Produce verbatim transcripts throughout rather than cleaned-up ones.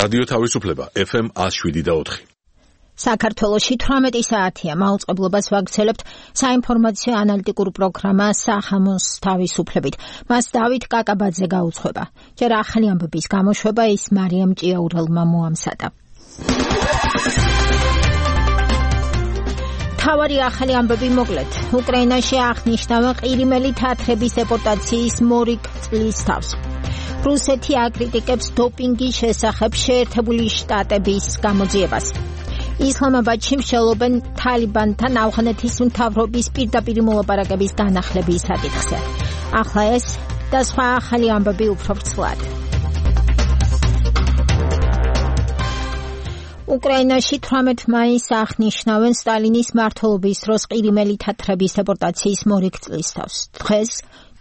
რადიო თავისუფლება ეფ ემ ათს შვიდი და ოთხი. საქართველოში თვრამეტი საათია მაუწყებლობას ვაგრძელებთ საინფორმაციო ანალიტიკურ პროგრამა სახამოს თავისუფლებით. მას დავით კაკაბაძე გაუძღვება. ჯერ ახალი ამბების გამოშვება ის მარიამ ჭიაურელმა მოამზადა. თავარი ახალი ამბები მოკლედ. უკრაინაში აღნიშნავენ ყირიმელი თათრების დეპორტაციის მორიგ წლის თავს. რუსეთი აკრიტიკებს დოპინგის შესახებ შეერთებული შტატების გამოძიებას. ისლამაბადში მსჯელობენ თალიბანთან ავღანეთის მთავრობის პირდაპირ მოლაპარაკების განახლების საკითხზე. ახლა ეს და სხვა ახალი ამბები უფრო ვრცლად. უკრაინაში თვრამეტ მაისს აღნიშნავენ სტალინის მმართველობის დროს ყირიმელი თათრების დეპორტაციის მორიგ წლის თავს. დღეს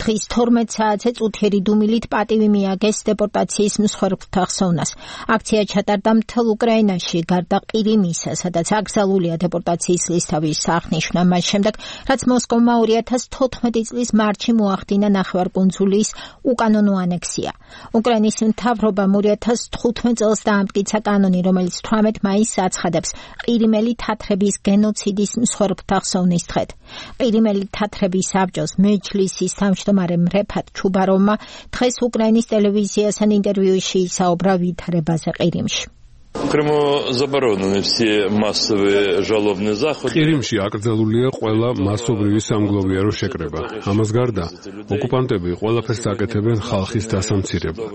დღის თორმეტ საათზე წუთიერი დუმილით პატივი მიაგეს დეპორტაციის მსხვერპლთა ხსოვნას. აქცია ჩატარდა მთელ უკრაინაში, გარდა ყირიმისა, სადაც აკრძალულია დეპორტაციის ლისტავის აღნიშვნა მას შემდეგ, რაც მოსკოვმა ორი ათას თოთხმეტი წლის მარტში მოახდინა ნახევარკუნძულის უკანონო ანექსია. უკრაინის მთავრობამ ორი ათას თხუთმეტ წელს დაამტკიცა კანონი, რომელიც თვრამეტ მაისს აცხადებს ყირიმელი თათრების გენოციდის მსხვერპლთა ხსოვნის დღედ. ყირიმელი თათრების საბჭოს მეჯლისის თავმჯდომარემ რეფატ ჩუბაროვმა დღეს უკრაინის ტელევიზიასთან ინტერვიუში ისაუბრა ვითარებაზე ყირიმში. ყირიმში აკრძალულია ყველა მასობრივი სამგლოვიარო შეკრება. ამას გარდა ოკუპანტები ყველაფერს აკეთებენ ხალხის დასამცირებლად.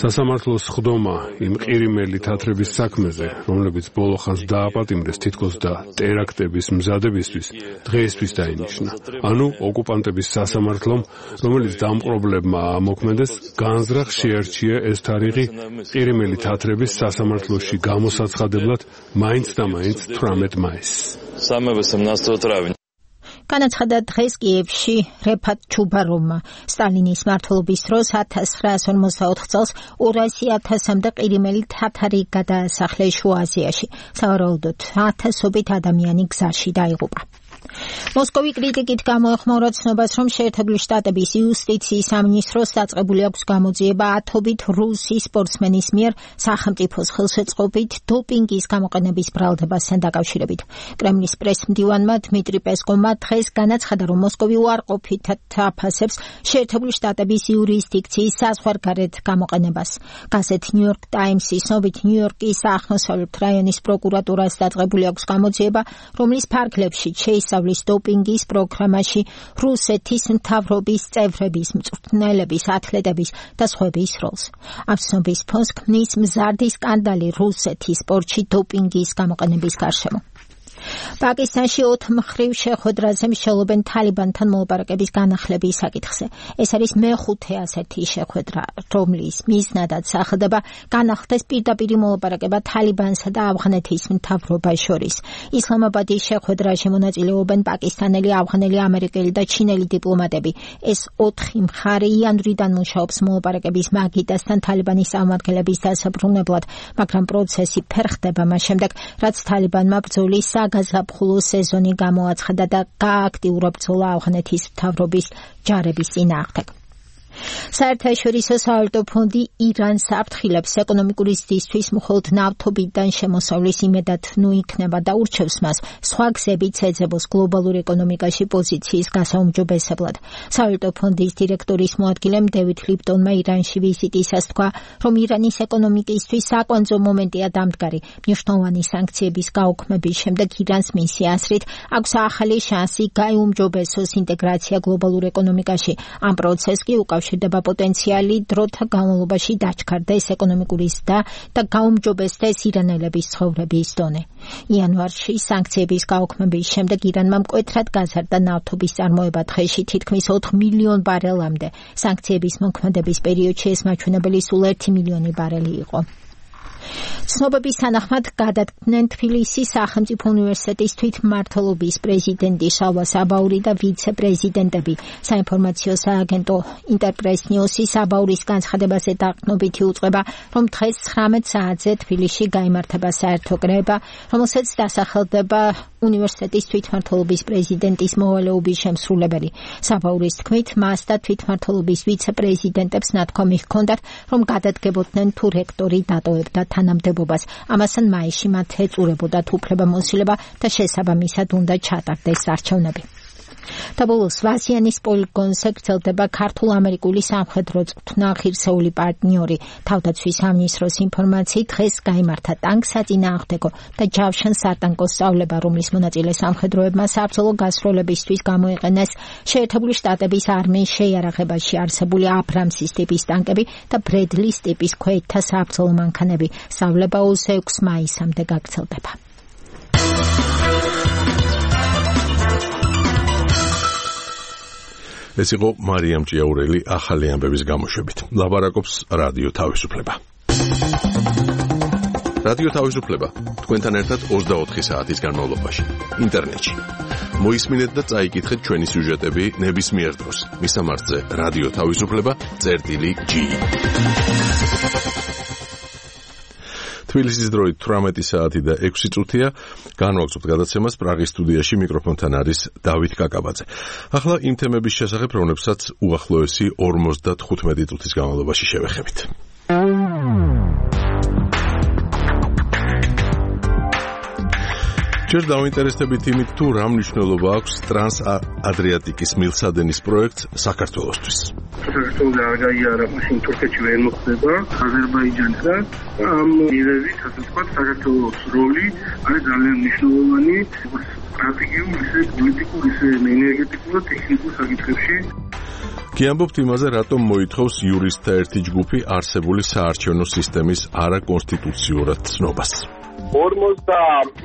სასამართლოს ხდომა იმ ყირიმელი თათრების საქმეზე, რომლებიც ბოლო ხანს დააპატიმრეს თითქოს და ტერაქტების მზადებისთვის, დღეისთვის დაინიშნა. ანუ ოკუპანტების სასამართლომ, რომელიც დამპყრობლებმა ამოქმედეს, განზრახ შეარჩია ეს თარიღი ყირიმელი თათრების სასამართლოში გამოსაცხადებლად მაინც და მაინც თვრამეტ მაისს. განაცხადა დღეს კიევში რეფატ ჩუბაროვმა. სტალინის მმართველობის დროს ათას ცხრაასი ორმოცდაოთხ წელს ორასი ათასამდე ყირიმელი თათარი გადაასახლეს შუა აზიაში. სავარაუდოდ ათასობით ადამიანი გზაში დაიღუპა. მოსკოვი კრიტიკით გამოეხმაურა ცნობას, რომ შეერთებული შტატების იუსტიციის სამინისტროს დაწყებული აქვს გამოძიება ათობით რუსი სპორტსმენის მიერ სახელმწიფოს ხელშეწყობით დოპინგის გამოყენების ბრალდებასთან დაკავშირებით. კრემლის პრესმდივანმა დმიტრი პესკოვმა დღეს განაცხადა, რომ მოსკოვი უარყოფითად აფასებს შეერთებული შტატების იურისდიქციის საზღვარგარეთ გამოყენებას. გაზეთ ნიუ-იორკ ტაიმსის ცნობით, ნიუ-იორკის აღმოსავლეთ რაიონის პროკურატურას დაწყებული აქვს გამოძიება, რომლის ფარგლებში შეისწავლის დოპინგის პროგრამაში რუსეთის მთავრობის წევრების, მწვრთნელების, ათლეტების და სხვების როლს. ამ ცნობის ფონს ქმნის მზარდი სკანდალი რუსეთის სპორტში დოპინგის გამოყენების გარშემო. პაკისტანში ოთხმხრივ შეხვედრაზე მსჯელობენ თალიბანთან მოლაპარაკების განახლების საკითხზე. ეს არის მეხუთე ასეთი შეხვედრა, რომლის მიზნადაც სახელდება განახლდეს პირდაპირ მოლაპარაკება თალიბანსა და ავღანეთის მთავრობას შორის. ისლამაბადის შეხვედრაში მონაწილეობენ პაკისტანელი, ავღანელი, ამერიკელი და ჩინელი დიპლომატები. ეს ოთხი მხარე იანვრიდან მუშაობს მოლაპარაკების მაგიდასთან თალიბანის წარმომადგენლების დასაბრუნებლად, მაგრამ პროცესი ფერხდება მას შემდეგ, რაც თალიბანმა ბრძოლის გაზაფხულო სეზონი გამოაცხადა და გააქტიურა ბრძოლა ავღანეთის მთავრობის ჯარების წინააღმდეგ. საერთაშორისო სავალუტო ფონდი ირანს აფრთხილებს ეკონომიკური ზრდისთვის მხოლოდ ნავთობიდან შემოსავლის იმედად ნუ იქნება და ურჩევს მას სხვა გზებით ეძებოს გლობალურ ეკონომიკაში პოზიციის გასაუმჯობესებლად. სავალუტო ფონდის დირექტორის მოადგილემ დევიდ ლიპტონმა ირანში ვიზიტისას თქვა, რომ ირანის ეკონომიკისთვის საკვანძო მომენტია დამდგარი. მნიშვნელოვანი სანქციების გაუქმების შემდეგ ირანს მისი აზრით აქვს ახალი შანსი გაიუმჯობესოს ინტეგრაცია გლობალურ ეკონომიკაში. ამ პროცესს კი უკავშირდება პოტენციალი დროთა განმავლობაში დაჩქარდეს ეკონომიკური ზრდა და გაუმჯობესდეს ირანელების ცხოვრების დონე. იანვარში სანქციების გაუქმების შემდეგ ირანმა მკვეთრად გაზარდა ნავთობის წარმოება დღეში თითქმის ოთხ მილიონ ბარელამდე. სანქციების მოქმედების პერიოდში ეს მაჩვენებელი სულ ერთი მილიონი ბარელი იყო. ცნობების თანახმად გადადგნენ თბილისის სახელმწიფო უნივერსიტეტის თვითმმართველობის პრეზიდენტი შალვა საბაური და ვიცე-პრეზიდენტები. საინფორმაციო სააგენტო ინტერპრეს ნიუსის საბაურის განცხადებაზე დაყრდნობითი უწყება, რომ დღეს ცხრამეტ საათზე თბილისში გაიმართება საერთო კრება, რომელსაც დასახელდება უნივერსიტეტის თვითმმართველობის პრეზიდენტის მოვალეობის შემსრულებელი. საბაურის თქმით, მას და თვითმმართველობის ვიცე-პრეზიდენტებს ნათქვამი ჰქონდათ, რომ გადადგებოდნენ თუ რექტორი დატოვებდა თანამდებობას. ამასთან მაისში მათ ეწურებოდათ უფლებამოსილება და შესაბამისად უნდა ჩატარდეს არჩევნები. Tabulus Vasianis პოლიგონს ეკრძალდება ქართულ-ამერიკული სამხედრო წვრთნა ღირსეული პარტნიორი. თავდაცვის სამინისტროს ინფორმაციით დღეს გაიმართა ტანკსაწინააღმდეგო და ჯავშან-სარტანკო სწავლება, რომლის მონაწილე სამხედროებმა საბრძოლო გასროლებისთვის გამოიყენეს შეერთებული შტატების არმიის შეიარაღებაში არსებული აბრამსის ტიპის ტანკები და ბრედლის ტიპის ქვეითთა საბრძოლო მანქანები. სწავლება ოცდაექვსი მაისამდე გაგრძელდება. ეს იყო მარიამ ჭიაურელი ახალი ამბების გამოშვებით. ლაბარაკობს რადიო თავისუფლება. რადიო თავისუფლება თქვენთან ერთად ოცდაოთხი საათის განმავლობაში ინტერნეტში. მოისმინეთ და წაიკითხეთ ჩვენი სიუჟეტები ნებისმიერ დროს. მისამართზე რადიო თავისუფლება წერტილი ჯი. თბილისის დროით თვრამეტი საათი და ექვსი წუთია. განვაგრძობთ გადაცემას პრაღის სტუდიაში, მიკროფონთან არის დავით კაკაბაძე. ახლა იმ თემების შესახებ, რომლებსაც უახლოესი ორმოცდათხუთმეტი წუთის განმავლობაში შევეხებით. ჯერ დავინტერესდებით იმით, თუ რა მნიშვნელობა აქვს ტრანს-ადრიატიკის მილსადენის პროექტს საქართველოსთვის. საქართველოს აღიარა მაშინ თურქეთში ვერ მოხდება აზერბაიჯანსა და ამ მიზეზით ასე ვთქვათ საქართველოს როლი არის ძალიან მნიშვნელოვანი სტრატეგიულ, ისე პოლიტიკურ, ისე ენერგეტიკულ და ტექნიკურ საკითხებში. გიამბობთ იმაზე, რატომ მოითხოვს იურისტთა ერთი ჯგუფი არსებული საარჩევნო სისტემის არაკონსტიტუციურად ცნობას. ორმოცდაათი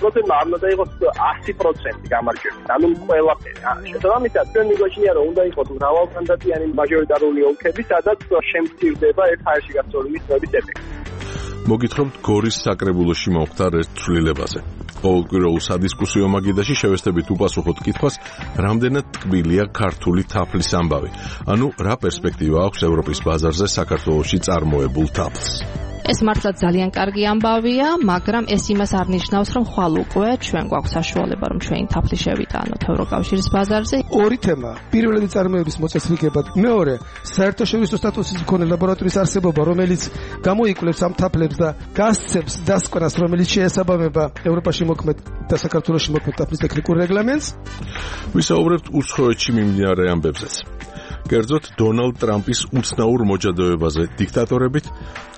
პროცენტი არ უნდა იყოს ასი პროცენტი გამარჯვებული. ანუ ყველაფერი. შესაბამისად, ჩვენ მიგოჩნია, რომ უნდა იყოს მრავალმანდატიანი მაჟორიტარული ოლქები, სადაც შემცირდება ერთ ჰაერში გასწორული მიწების ეფექტი. მოგითხრობთ გორის საკრებულოში მომხდარ ერთ ცვლილებაზე. ყოველკვირეულ სადისკუსიო მაგიდაში შევესწრებით უპასუხოთ კითხვას, რამდენად ტკბილია ქართული თაფლის ამბავი. ანუ რა პერსპექტივა აქვს ევროპის ბაზარზე საქართველოში წარმოებულ თაფლს. ეს მართლა ძალიან კარგი ამბავია, მაგრამ ეს იმას არ ნიშნავს, რომ ხვალ უკვე ჩვენ გვაქვს საშუალება, რომ ჩვენი თაფლი შევიტანოთ ევროკავშირის ბაზარზე. ორი თემა. პირველი წარმოების მოწესრიგება, მეორე საერთაშორისო სტატუსის მქონე ლაბორატორიის არსებობა, რომელიც გამოიკვლევს ამ თაფლებს და გასცემს დასკვნას, რომელიც შეესაბამება ევროპაში მოქმედ და საქართველოში მოქმედ თაფლის ტექნიკურ რეგლამენტს. ვისაუბრებთ უცხოეთში მიმდინარე ამბებზეც. კერძოდ დონალდ ტრამპის უცნაურ მოჯადოებაზე დიქტატორებით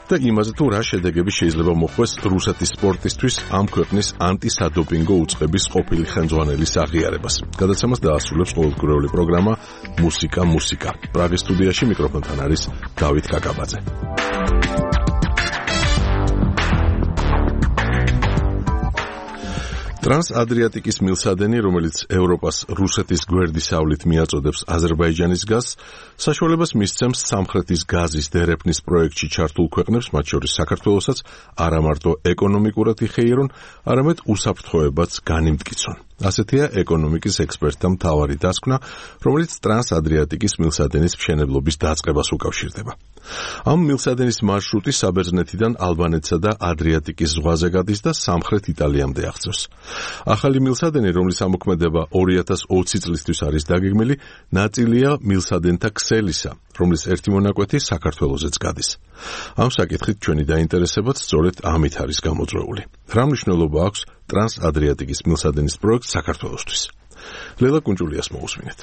და იმაზე, თუ რა შედეგები შეიძლება მოხვდეს რუსეთის სპორტისთვის ამ ქვეყნის ანტისადოპინგო უწყების ყოფილი ხელმძღვანელის აღიარებას. გადაცემას დაასრულებს ყოველკვირეული პროგრამა მუსიკა მუსიკა. პრაღის სტუდიაში მიკროფონთან არის დავით კაკაბაძე. ტრანს-ადრიატიკის მილსადენი, რომელიც ევროპას რუსეთის გვერდისავლით მიაწოდებს აზერბაიჯანის გაზს, საშუალებას მისცემს სამხრეთის გაზის დერეფნის პროექტში ჩართულ ქვეყნებს, მათ შორის საქართველოსაც, არა მარტო ეკონომიკურად იხეირონ, არამედ უსაფრთხოებაც განიმტკიცონ. ასეთია ეკონომიკის ექსპერტთა მთავარი დასკვნა, რომელიც ტრანს-ადრიატიკის მილსადენის მშენებლობის დაწყებას უკავშირდება. ამ მილსადენის მარშრუტი საბერძნეთიდან ალბანეთსა და ადრიატიკის ზღვაზე გადის და სამხრეთ იტალიამდე აღწევს. ახალი მილსადენი, რომლის ამოქმედება ორი ათას ოცი წლისთვის არის დაგეგმილი, ნაწილია მილსადენთა ქსელისა, რომლის ერთი მონაკვეთი საქართველოსაც გადის. ამ საკითხით ჩვენი დაინტერესებაც სწორედ ამით არის გამოწვეული. რა მნიშვნელობა აქვს ტრანს-ადრიატიკის მილსადენის პროექტს საქართველოსთვის? ლელა კუნჭულიას მოусმინეთ.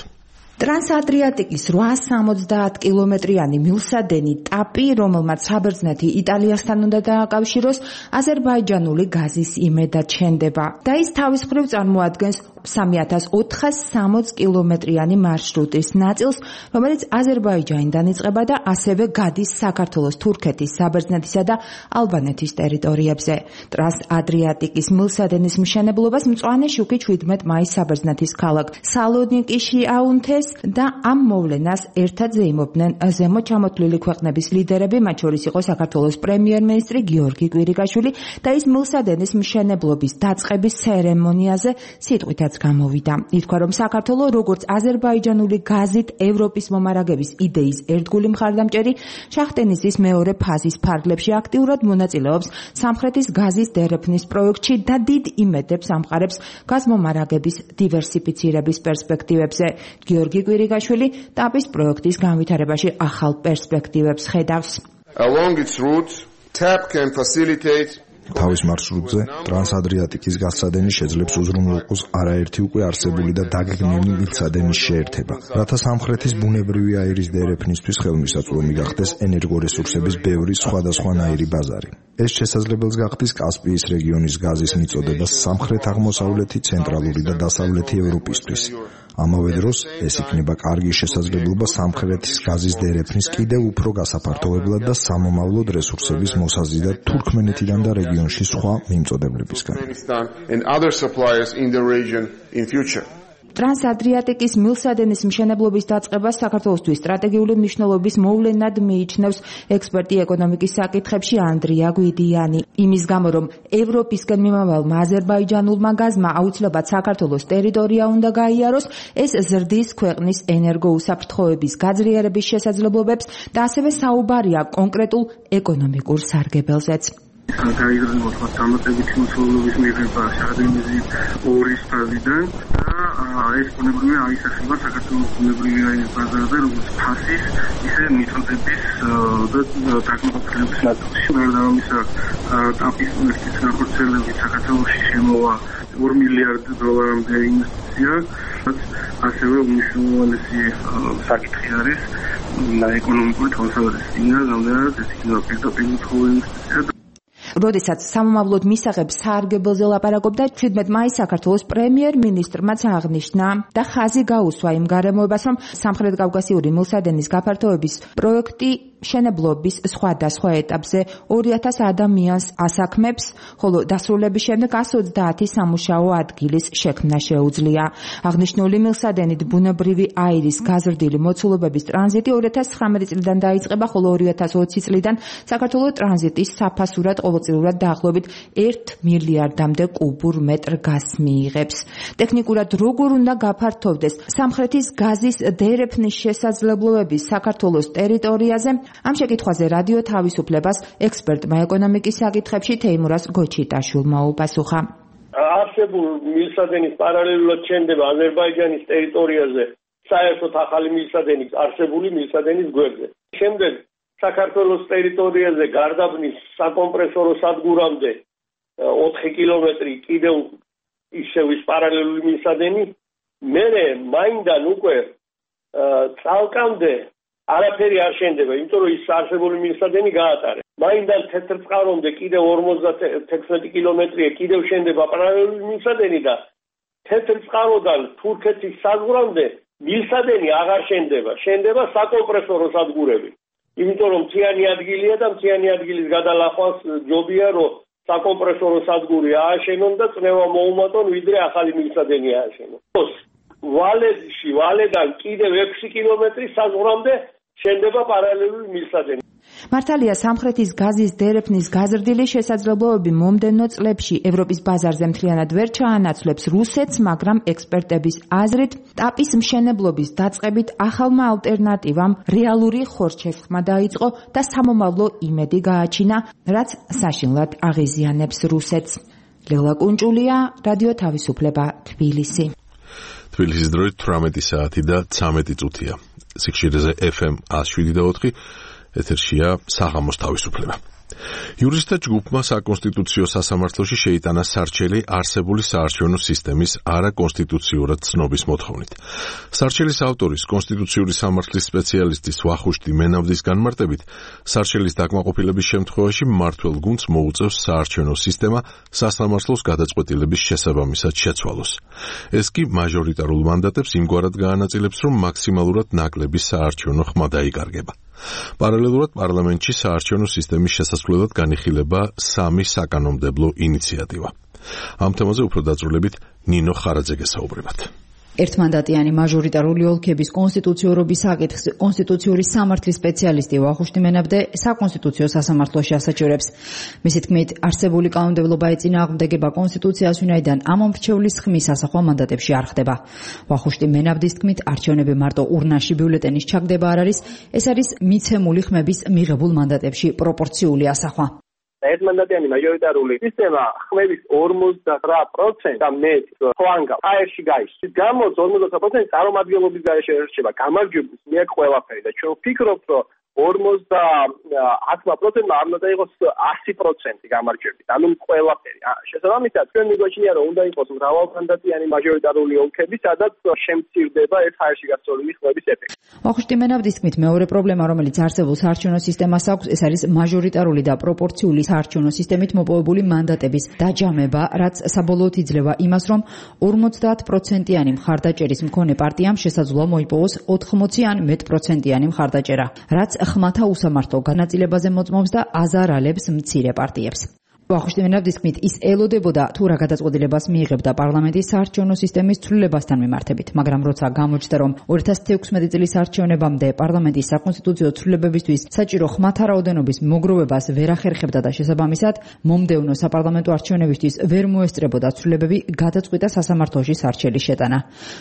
ტრანს-ადრიატიკის რვაას სამოცდაათ კილომეტრიანი მილსადენი ტაპი, რომელმაც საბერძნეთი იტალიასთან უნდა დააკავშიროს, აზერბაიჯანული გაზის იმედად შენდება და ის თავის მხრივ წარმოადგენს სამი ათას ოთხას სამოცი კილომეტრიანი მარშრუტის ნაწილს, რომელიც აზერბაიჯანიდან იწყება და ასევე გადის საქართველოს, თურქეთის, საბერძნეთისა და ალბანეთის ტერიტორიებზე. ტრანს-ადრიატიკის მილსადენის მშენებლობას მწვანე შუქი შვიდმეტ მაისს საბერძნეთის ქალაქ სალონიკიში აუნთეს და ამ მოვლენას ერთად ზეიმობდნენ ზემოთ ჩამოთვლილი ქვეყნების ლიდერები, მათ შორის იყო საქართველოს პრემიერ-მინისტრი გიორგი კვირიკაშვილი და ის მილსადენის მშენებლობის დაწყების ცერემონიაზე სიტყვითაც გამოვიდა. ითქვა, რომ საქართველოს როგორც აზერბაიჯანული გაზით ევროპის მომარაგების იდეის ერთგული მხარდამჭერი შახტენისის მეორე ფაზის ფარგლებში აქტიურად მონაწილეობს სამხრეთის გაზის დერეფნის პროექტში და დიდ იმედებს ამყარებს გაზმომარაგების დივერსიფიცირების პერსპექტივებზე. გიორგი კვირიკაშვილი ტაპის პროექტის განვითარებაში ახალ პერსპექტივებს ხედავს. Along its route TAP can facilitate თავის მარშრუტზე ტრანსადრიატიკის გასცადენი შეძლებს უზრუნველყოს არაერთი უკვე არსებული და დაგეგმილი მილსადენის შეერთება, რათა სამხრეთის ბუნებრივი აირის დერეფნისთვის ხელმისაწვდომი გახდეს ენერგორესურსების ბევრი სხვადასხვანაირი ბაზარი. ეს შესაძლებელს გახდის კასპიის რეგიონის გაზის მიწოდება სამხრეთ-აღმოსავლეთი, ცენტრალური და დასავლეთი ევროპისთვის. ამავე დროს ეს იქნება კარგი შესაძლებლობა სამხრეთის გაზის დერეფნის კიდევ უფრო გასაფართოებლად და სამომავლოდ რესურსების მოსაზიდად თურქმენეთიდან და რეგიონში სხვა მიმწოდებლებისგან. ტრანსადრიატიკის მილსადენის მშენებლობის დაწყება საქართველოსთვის სტრატეგიული მნიშვნელობის მოვლენად მიიჩნევს ექსპერტი ეკონომიკის საკითხებში ანდრია გვიდიანი. იმის გამო, რომ ევროპისკენ მიმავალმა აზერბაიჯანულმა გაზმა აუცილებლად საქართველოს ტერიტორია უნდა გაიაროს, ეს ზრდის ქვეყნის ენერგოუსაფრთხოების გაძლიერების შესაძლებლობებს და ასევე საუბარია კონკრეტულ ეკონომიკურ სარგებელზეც. გაიზრდება სხვა დამატებითი მოსახლეობის მიღება შადრემიზის ორის ფაზიდან და ეს ბუნებრივი აისახება საქართველოს ბუნებრივი აირის ბაზარზე, როგორც ფასის, ისე მიწოდების და დაკმაყოფილების ნაწილში. გარდა ამისა, ტაპის პროექტის განხორციელებით საქართველოში შემოვა ორი მილიარდი დოლარამდე ინვესტიცია, რაც ასევე უმნიშვნელოვანესი საკითხი არის ეკონომიკური თვალსაზრისით. ინა რამდენად ეს იქნება პირდაპირ ინვესტიცია. როდესაც სამომავლოდ მისაღებ საარგებელზე ლაპარაკობდა, შვიდმეტ მაისს საქართველოს პრემიერ-მინისტრმაც აღნიშნა და ხაზი გაუსვა იმ გარემოებას, რომ სამხრეთ კავკასიური მილსადენის გაფართოების პროექტი მშენებლობის სხვადასხვა ეტაპზე ორი ათას ადამიანს ასაქმებს, ხოლო დასრულების შემდეგ εκατს ოცდაათი სამუშაო ადგილის შექმნა შეუძლია. აღნიშნული მილსადენით ბუნებრივი აირის გაზრდილი მოცულობების ტრანზიტი ორი ათას ცხრამეტი წლიდან დაიწყება, ხოლო ორი ათას ოცი წლიდან საქართველოს ტრანზიტის საფასურად ყოველწლიურად დაახლოებით ერთ მილიარდამდე კუბურ მეტრ გაზს მიიღებს. ტექნიკურად როგორ უნდა გაფართოვდეს სამხრეთის გაზის დერეფნის შესაძლებლობები საქართველოს ტერიტორიაზე? ამ შეკითხვაზე რადიო თავისუფლებას ექსპერტმა ეკონომიკის საკითხებში თეიმურას გოჩიტაშვილმა უპასუხა. არსებულ მილსადენის პარალელურად შენდება აზერბაიჯანის ტერიტორიაზე საერთოდ ახალი მილსადენი არსებული მილსადენის გვერდზე. შემდეგ საქართველოს ტერიტორიაზე გარდაბნის საკომპრესორო სადგურამდე ოთხი კილომეტრი კიდევ ისევ ის პარალელური მილსადენი, მერე მაინდან უკვე წალკამდე არაფერი არ შენდება, იმიტომ რომ ის არსებული მილსადენი გაატარეს. მაინდან თეთრწყარომდე კიდევ ორმოცდათექვსმეტი კილომეტრია კიდევ შენდება პარალელური მილსადენი და თეთრწყაროდან თურქეთის საზღვრამდე მილსადენი აღარ შენდება, შენდება საკომპრესორო სადგურები. იმიტომ რომ მთიანი ადგილია და მთიანი ადგილის გადალახვას ჯობია რომ საკომპრესორო სადგური ააშენონ და წნევა მოუმატონ ვიდრე ახალი მილსადენი ააშენონ. ვალედში, ვალედან კიდევ ექვსი კილომეტრი საზღვრამდე შენდება პარალელური მილსადენი. მართალია სამხრეთის გაზის დერეფნის გაზრდილი შესაძლებლობები მომდევნო წლებში ევროპის ბაზარზე მთლიანად ვერ ჩაანაცვლებს რუსეთს, მაგრამ ექსპერტების აზრით ტაპის მშენებლობის დაწყებით ახალმა ალტერნატივამ რეალური ხორჩესხმა დაიწყო და სამომავლო იმედი გააჩინა, რაც საშინლად აღიზიანებს რუსეთს. ლელა კუნჭულია, რადიო თავისუფლება, თბილისი. თბილისის დროით თვრამეტი საათი და ცამეტი წუთია. სიხშირეზე ეფ ემ ათს შვიდი და ოთხი ეთერშია საღამოს თავისუფლება. იურისტთა ჯგუფმა საკონსტიტუციო სასამართლოში შეიტანა სარჩელი არსებული საარჩევნო სისტემის არაკონსტიტუციურად ცნობის მოთხოვნით. სარჩელის ავტორის კონსტიტუციური სამართლის სპეციალისტის ვახუშტი მენავდის განმარტებით, სარჩელის დაკმაყოფილების შემთხვევაში მმართველ გუნდს მოუწევს საარჩევნო სისტემა სასამართლოს გადაწყვეტილების შესაბამისად შეცვალოს. ეს კი მაჟორიტარულ მანდატებს იმგვარად გაანაწილებს, რომ მაქსიმალურად ნაკლები საარჩევნო ხმა დაიკარგება. პარალელურად პარლამენტში საარჩევნო სისტემის შესასვლელად განიხილება სამი საკანონმდებლო ინიციატივა. ამ თემაზე უფრო დაწვრილებით ნინო ხარაძე გესაუბრებათ. ერთმანდატიანი მაჟორიტარული ოლქების კონსტიტუციურობის საკითხის კონსტიტუციური სამართლის სპეციალისტი ვახუშტი მენავდე საკონსტიტუციო სასამართლოში ასაჩივრებს. მისი თქმით, არსებული კანონმდებლობა ეწინააღმდეგება კონსტიტუციას, ვინაიდან ამ მომრჩევლის ხმის ასახვა მანდატებში არ ხდება. ვახუშტი მენავდის თქმით, არჩევნები მარტო ურნაში ბიულეტენის ჩაგდება არ არის, ეს არის მიცემული ხმების მიღებულ მანდატებში პროპორციული ასახვა. ერთმანდატიანი მაჟორიტარული სისტემა ხმების ორმოცდაოთხ პროცენტს და მეტ ფლანგავს აერში გაიშლის. გამოც ორმოცდაოთხ პროცენტი წარმომადგენლობის გარეშე რჩება გამარჯვებულს მიერ ყველაფერი და ჩვენ ვფიქრობთ, რომ ოცდაათმა პროცენტმა არ უნდა იყოს ასი პროცენტი გამარჯვებით. ანუ ყველაფერი. შესაბამისად, ჩვენ მიგვაჩნია, რომ უნდა იყოს მრავალმანდატიანი მაჟორიტარული ოლქები, სადაც შემცირდება ერთ ჰაერში გასწორული ხმების ეფექტი. ვახუშტი მენაბდის თქმით, მეორე პრობლემა, რომელიც არსებულ საარჩევნო სისტემას აქვს, ეს არის მაჟორიტარული და პროპორციული საარჩევნო სისტემით მოპოვებული მანდატების დაჯამება, რაც საბოლოოდ იძლევა იმას, რომ ორმოცდაათ პროცენტიანი მხარდაჭერის მქონე პარტიამ შესაძლოა მოიპოვოს ოთხმოცი ან მეტ პროცენტიანი მხარდაჭერა, რაც ხმათა უსამართლო განაწილებაზე მოწმობს და აზარალებს მცირე პარტიებს. ვახუშტი მენაბდის თქმით, ის ელოდებოდა თუ რა გადაწყვეტილებას მიიღებდა პარლამენტის საარჩევნო სისტემის ცვლილებასთან მიმართებით, მაგრამ როცა გამოჩნდა, რომ ორი ათას თექვსმეტი წლის არჩევნებამდე პარლამენტის საკონსტიტუციო ცვლილებებისთვის საჭირო ხმათა რაოდენობის მოგროვებას ვერ ახერხებდა და შესაბამისად მომდევნო საპარლამენტო არჩევნებისთვის ვერ მოესწრებოდა ცვლილებები, გადაწყვიტა სასამართლოში სარჩელის შეტანა.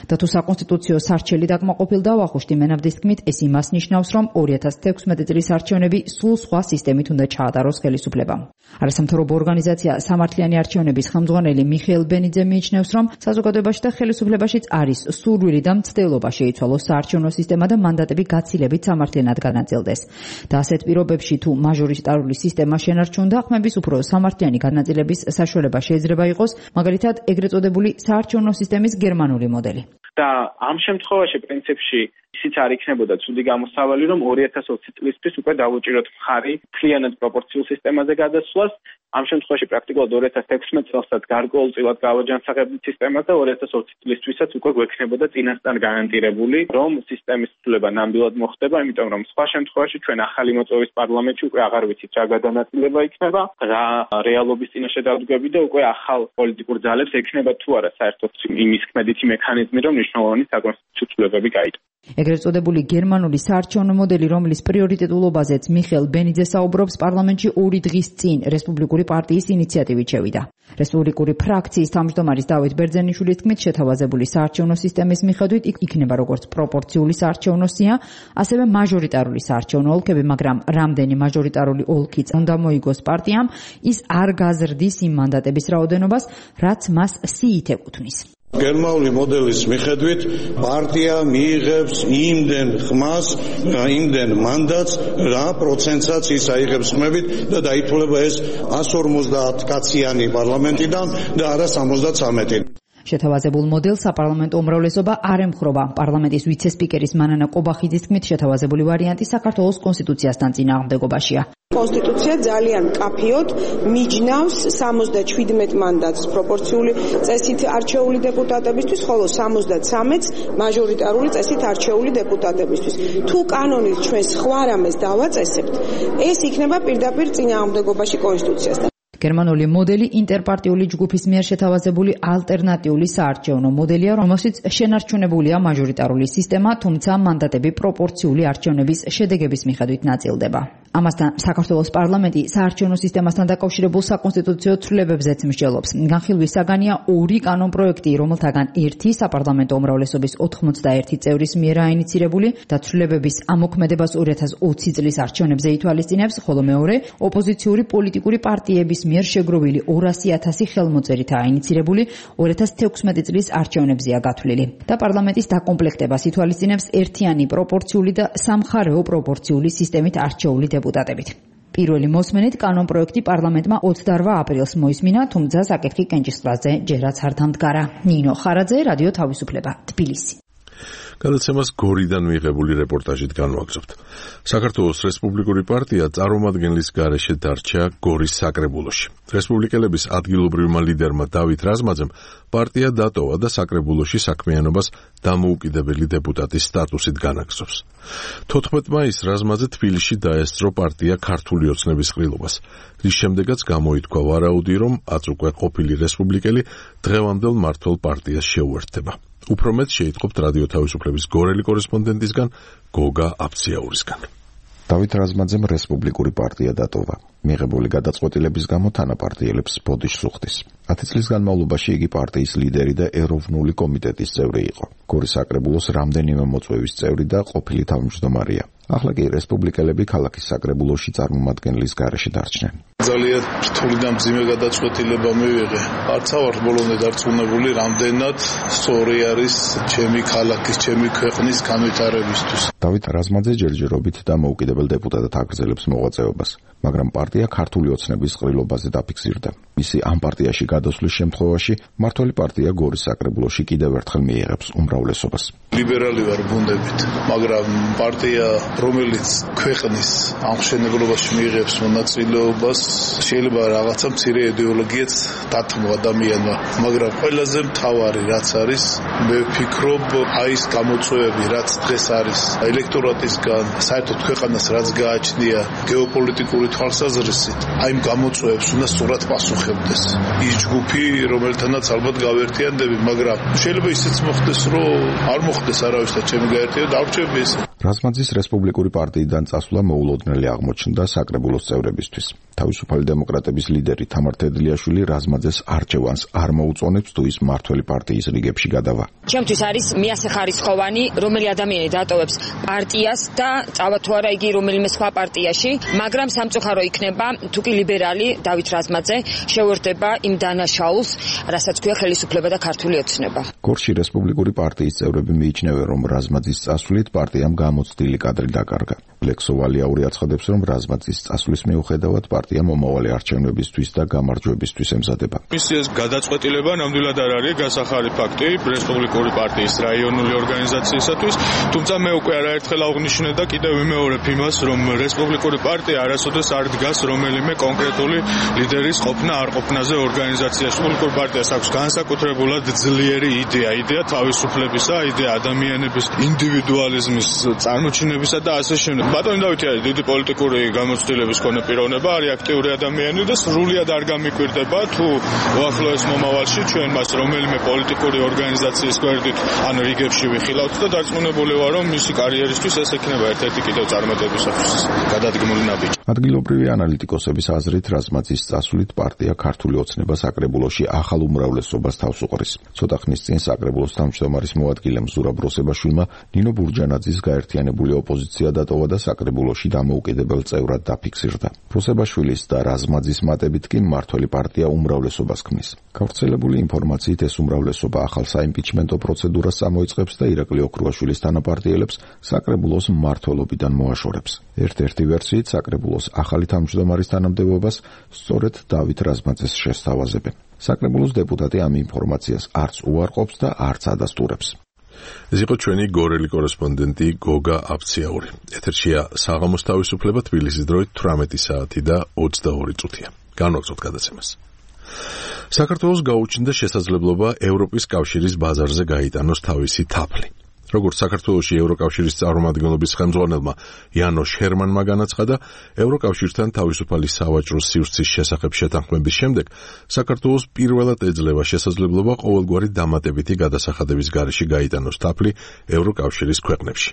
და თუ საკონსტიტუციო სარჩელი დაკმაყოფილდა, ვახუშტი მენაბდის თქმით, ეს იმას ნიშნავს, რომ ორი ათას თექვსმეტი წლის არჩევნები სულ სხვა სისტემით უნდა ჩაატაროს ხელისუფლებამ. არასამთავრობო ორგანიზაცია სამართლიანი არჩევნების ხელმძღვანელი მიხეილ ბენიძე მიიჩნევს, რომ საზოგადოებაში და ხელისუფლებაშიც არის სურვილი და მცდელობა შეიცვალოს საარჩევნო სისტემა და მანდატები გაცილებით სამართლიანად განაწილდეს. და ასეთ პირობებში თუ მაჟორიტარული სისტემა შენარჩუნდა, ხმების უფრო სამართლიანი განაწილების საშუალება შეიძლება იყოს, მაგალითად, ეგრეთ წოდებული საარჩევნო სისტემის გერმანული მოდელი. და ამ შემთხვევაში პრინციპში ისიც არ იქნებოდა ცუდი გამოსავალი, რომ ორი ათას ოცი წლისთვის უკვე დავუჭიროთ მხარი მთლიანად პროპორციულ სისტემაზე გადასვლას. ამ შემთხვევაში პრაქტიკულად ორი ათას თექვსმეტ წელსაც გარკვეულწილად გავაჯანსაღებდით სისტემას და ორი ათას ოცი წლისთვისაც უკვე გვექნებოდა წინასწარ გარანტირებული, რომ სისტემის ცვლილება ნამდვილად მოხდება, იმიტომ რომ სხვა შემთხვევაში ჩვენ ახალი მოწვევის პარლამენტში უკვე აღარ ვიცით რა გადანაწილება იქნება, რა რეალობის წინაშე დავდგები და უკვე ახალ პოლიტიკურ ძალებს ექნება თუ არა საერთოდ იმის ქმედითი მექანიზმი, რომ მნიშვნელოვანი საკონსტიტუციო ცვლილებები გაიტანოს. ეგრეთ წოდებული გერმანული საარჩევნო მოდელი, რომლის პრიორიტეტულობაზეც მიხეილ ბენიძე საუბრობს, პარლამენტში ორი დღის წინ რესპუბლიკური პარტიის ინიციატივით შევიდა. რესპუბლიკური ფრაქციის თავმჯდომარის დავით ბერძენიშვილის თქმით, შეთავაზებული საარჩევნო სისტემის მიხედვით იქნება როგორც პროპორციული საარჩევნო სია, ასევე მაჟორიტარული საარჩევნო ოლქები, მაგრამ რამდენი მაჟორიტარული ოლქიც უნდა მოიგოს პარტიამ, ის არ გაზრდის იმ მანდატების რაოდენობას, რაც მას სიით ეკუთვნის. გერმანული მოდელის მიხედვით პარტია მიიღებს იმდენ ხმას, იმდენ მანდატს, რა პროცენტსაც ის აიღებს ხმებით და დაითვლება ეს εκατს ორმოცდაათ კაციანი პარლამენტიდან და არა სამოცდათვრამეტი. შეთავაზებულ მოდელს საპარლამენტო უმრავლესობა არ ემხრობა. პარლამენტის ვიცე-სპიკერის მანანა კობახიძის თქმით, შეთავაზებული ვარიანტი საქართველოს კონსტიტუციასთან წინააღმდეგობაშია. კონსტიტუცია ძალიან მკაფიოდ მიჯნავს სამოცდაჩვიდმეტ მანდატს პროპორციული წესით არჩეული დეპუტატებისთვის, ხოლო სამოცდათრამეტს მაჟორიტარული წესით არჩეული დეპუტატებისთვის. თუ კანონით ჩვენ სხვა რამეს დავაწესებთ, ეს იქნება პირდაპირ წინააღმდეგობაში კონსტიტუციასთან. გერმანული მოდელი ინტერპარტიული ჯგუფის მიერ შეთავაზებული ალტერნატიული საარჩევნო მოდელია, რომელშიც შენარჩუნებულია მაჟორიტარული სისტემა, თუმცა მანდატები პროპორციული არჩევნების შედეგების მიხედვით ნაწილდება. ამასთან საქართველოს პარლამენტი საარჩევნო სისტემასთან დაკავშირებულ საკონსტიტუციო ცვლილებებზეც მსჯელობს. განხილვის საგანია ორი კანონპროექტი, რომელთაგან ერთი საპარლამენტო უმრავლესობის ოთხმოცდაერთი წევრის მიერ აინიცირებული და ცვლილებების ამოქმედებას ორი ათას ოცი წლის არჩევნებზე ითვალისწინებს, ხოლო მეორე ოპოზიციური პოლიტიკური პარტიების მიერ შეგროვილი ორასი ათასი ხელმოწერით აინიცირებული ორი ათას თექვსმეტი წლის არჩევნებზეა გათვლილი. და პარლამენტის დაკომპლექტებას ითვალისწინებს ერთიანი პროპორციული და სამხარეო პროპორციული სისტემით არჩეული დეპუტატებით. პირველი მოსმენით კანონპროექტი პარლამენტმა ოცდაორ აპრილს მოისმინა, თუმცა საკითხი კენჭისყრაზე ჯერაც არ დამდგარა. ნინო ხარაძე, რადიო თავისუფლება, თბილისი. გადაცემას გორიდან მიღებული რეპორტაჟით განვაგრძობთ. საქართველოს რესპუბლიკური პარტია წარმომადგენლის გარეშე დარჩა გორის საკრებულოში. რესპუბლიკელების ადგილობრივმა ლიდერმა დავით რაზმაძემ პარტია დატოვა და საკრებულოში საქმიანობას დამოუკიდებელი დეპუტატის სტატუსით განაგრძობს. თოთხმეტ მაისს რაზმაძე თბილისში დაესწრო პარტია ქართული ოცნების ყრილობას, რის შემდეგაც გამოითქვა ვარაუდი, რომ აწუკვე ყოფილი რესპუბლიკელი დღევანდელ მმართველ პარტიას შეუერთდება. უფრო მეტ შეიტყობთ რადიო თავისუფლების გორელი კორესპონდენტისგან გოგა აფციაურისგან. დავით რაზმაძემ რესპუბლიკური პარტია დატოვა. მიღებული გადაწყვეტილების გამო თანაპარტიელებს ბოდიშს უხდის. ათი წლის განმავლობაში იგი პარტიის ლიდერი და ეროვნული კომიტეტის წევრი იყო. გორის საკრებულოს რამდენიმე მოწვევის წევრი და ყოფილი თავმჯდომარეა. ახლა კი რესპუბლიკელები ქალაქის საკრებულოში წარმომადგენლის გარეშე დარჩნენ. ძალიან რთული და მძიმე გადაწყვეტილება მივიღე. არც ავარ ბოლომდე დარწმუნებული, რამდენად სწორი არის ჩემი ქალაქის, ჩემი ქვეყნის განვითარებისთვის. დავით რაზმაძე ჯერჯერობით დამოუკიდებელ დეპუტატად აგრძელებს მოღვაწეობას, მაგრამ პარტია ქართული ოცნების ყრილობაზე დაფიქსირდა. მისი ამ პარტიაში გადასვლის შემთხვევაში მმართველი პარტია გორის საკრებულოში კიდევ ერთხელ მიიღებს უმრავლესობას. ლიბერალი ვარ ბუნდებით, მაგრამ პარტია, რომელიც ქვეყნის ამხსენებლობაში მიიღებს მონაწილეობას, შეიძლება რაღაცა მცირე იდეოლოგიაც დათმო ადამიანმა, მაგრამ ყველაზე მთავარი რაც არის, მე ვფიქრობ, აი ეს გამოწვევები, რაც დღეს არის ელექტორატისგან, საერთოდ ქვეყანას რაც გააჩნია გეოპოლიტიკური თვალსაზრისით, აი ამ გამოწვევებს უნდა სწორად პასუხებდეს. ის ჯგუფი, რომელთანაც ალბათ გავერთიანდები, მაგრამ შეიძლება ისიც მოხდეს, რომ არ მოხდეს არავისთან ჩემი გაერთიანება, დავრჩები ეს. რაზმაძის რესპუბლიკური პარტიიდან წასვლა მოულოდნელი აღმოჩნდა საკრებულოს წევრებისთვის. თავისუფალი დემოკრატების ლიდერი თამარ თედლიაშვილი რაზმაძეს არჩევანს არ მოუწონებს თუ ის მმართველი პარტიის რიგებში გადავა. ჩემთვის არის მიასახარისხოვანი, რომელი ადამიანი დატოვებს პარტიას და წავა თუ არა იგი რომელიმე სხვა პარტიაში, მაგრამ სამწუხარო იქნება თუ კი ლიბერალი დავით რაზმაძე შეუერთდება იმ დანაშაულს, რასაც ქვია ხელისუფლება და ქართული ოცნება. გორში რესპუბლიკური პარტიის წევრები მიიჩნევენ, რომ რაზმაძის წასვლით პარტიამ გამოცდილი კადრი დაკარგა. ლექსოვალიაური აცხადებს, რომ რაზმაძის წასვლის მიუხედავად პარტია მომავალი არჩევნებისთვის და გამარჯვებისთვის ემზადება. მისი ეს გადაწყვეტილება ნამდვილად არ არის გასახარი ფაქტი რესპუბლიკური პარტიის რაიონული ორგანიზაციისათვის, თუმცა მე უკვე არაერთხელ აღნიშნე და კიდევ ვიმეორებ იმას, რომ რესპუბლიკური პარტია არასოდეს არ დგას რომელიმე კონკრეტული ლიდერის ყოფნა არ ყოფნაზე ორგანიზაციაში. რესპუბლიკური პარტიას აქვს განსაკუთრებულად ძლიერი იდეა, იდეა თავისუფლებისა, იდეა ადამიანების ინდივიდუალიზმის წარმოჩინებისა და ასე შემდეგ. ბატონი დავითი არის დიდი პოლიტიკური გამოცდილების მქონე პიროვნება, არის აქტიური ადამიანი და სრულიად არ გამიკვირდება თუ უახლოეს მომავალში ჩვენ მას რომელიმე პოლიტიკური ორგანიზაციის გვერდით ან რიგებში ვიხილავთ და დარწმუნებული ვარ, რომ მისი კარიერისთვის ეს ექნება ერთ-ერთი კიდევ წარმატებისათვის გადადგმული ნაბიჯი. ადგილობრივი ანალიტიკოსების აზრით რაზმაძის წასვლით პარტია ქართული ოცნება საკრებულოში ახალ უმრავლესობას თავს უყრის. ცოტა ხნის წინ საკრებულოს თავმჯდომარის მოადგილემ ზურაბ როსებაშვილმა ნინო ბურჯანაძის გაერთიანებული ოპოზიცია დატოვა და საკრებულოში დამოუკიდებელ წევრად დაფიქსირდა. როსებაშვილის და რაზმაძის მატებით კი მმართველი პარტია უმრავლესობას ქმნის. გავრცელებული ინფორმაციით ეს უმრავლესობა ახალ საიმპიჩმენტო პროცედურას წამოიწყებს და ირაკლი ოქრუაშვილის თანაპარტიელებს საკრებულოს მმართველობიდან მოაშორებს. ერთ-ერთი ვერსიით საკრებულოს ახალი თავმჯდომარის თანამდებობას სწორედ დავით რაზმაძეს შესთავაზებენ. საკრებულოს დეპუტატი ამ ინფორმაციას არც უარყოფს და არც ადასტურებს. ეს იყო ჩვენი გორელი კორესპონდენტი გოგა აფციაური. ეთერშია საღამოს თავისუფლება თბილისის დროით თვრამეტი საათი და ოცდაორი წუთია. განვაგრძოთ გადაცემას. საქართველოს გაუჩნდა შესაძლებლობა ევროპის კავშირის ბაზარზე გაიტანოს თავისი თაფლი. როგორც საქართველოში ევროკავშირის წარმომადგენლობის ხელმძღვანელმა იანოშ ჰერმანმა განაცხადა, ევროკავშირთან თავისუფალი სავაჭრო სივრცის შესახებ შეთანხმების შემდეგ საქართველოს პირველად ეძლევა შესაძლებლობა ყოველგვარი დამატებითი გადასახადების გარეშე გაიტანოს თაფლი ევროკავშირის ქვეყნებში.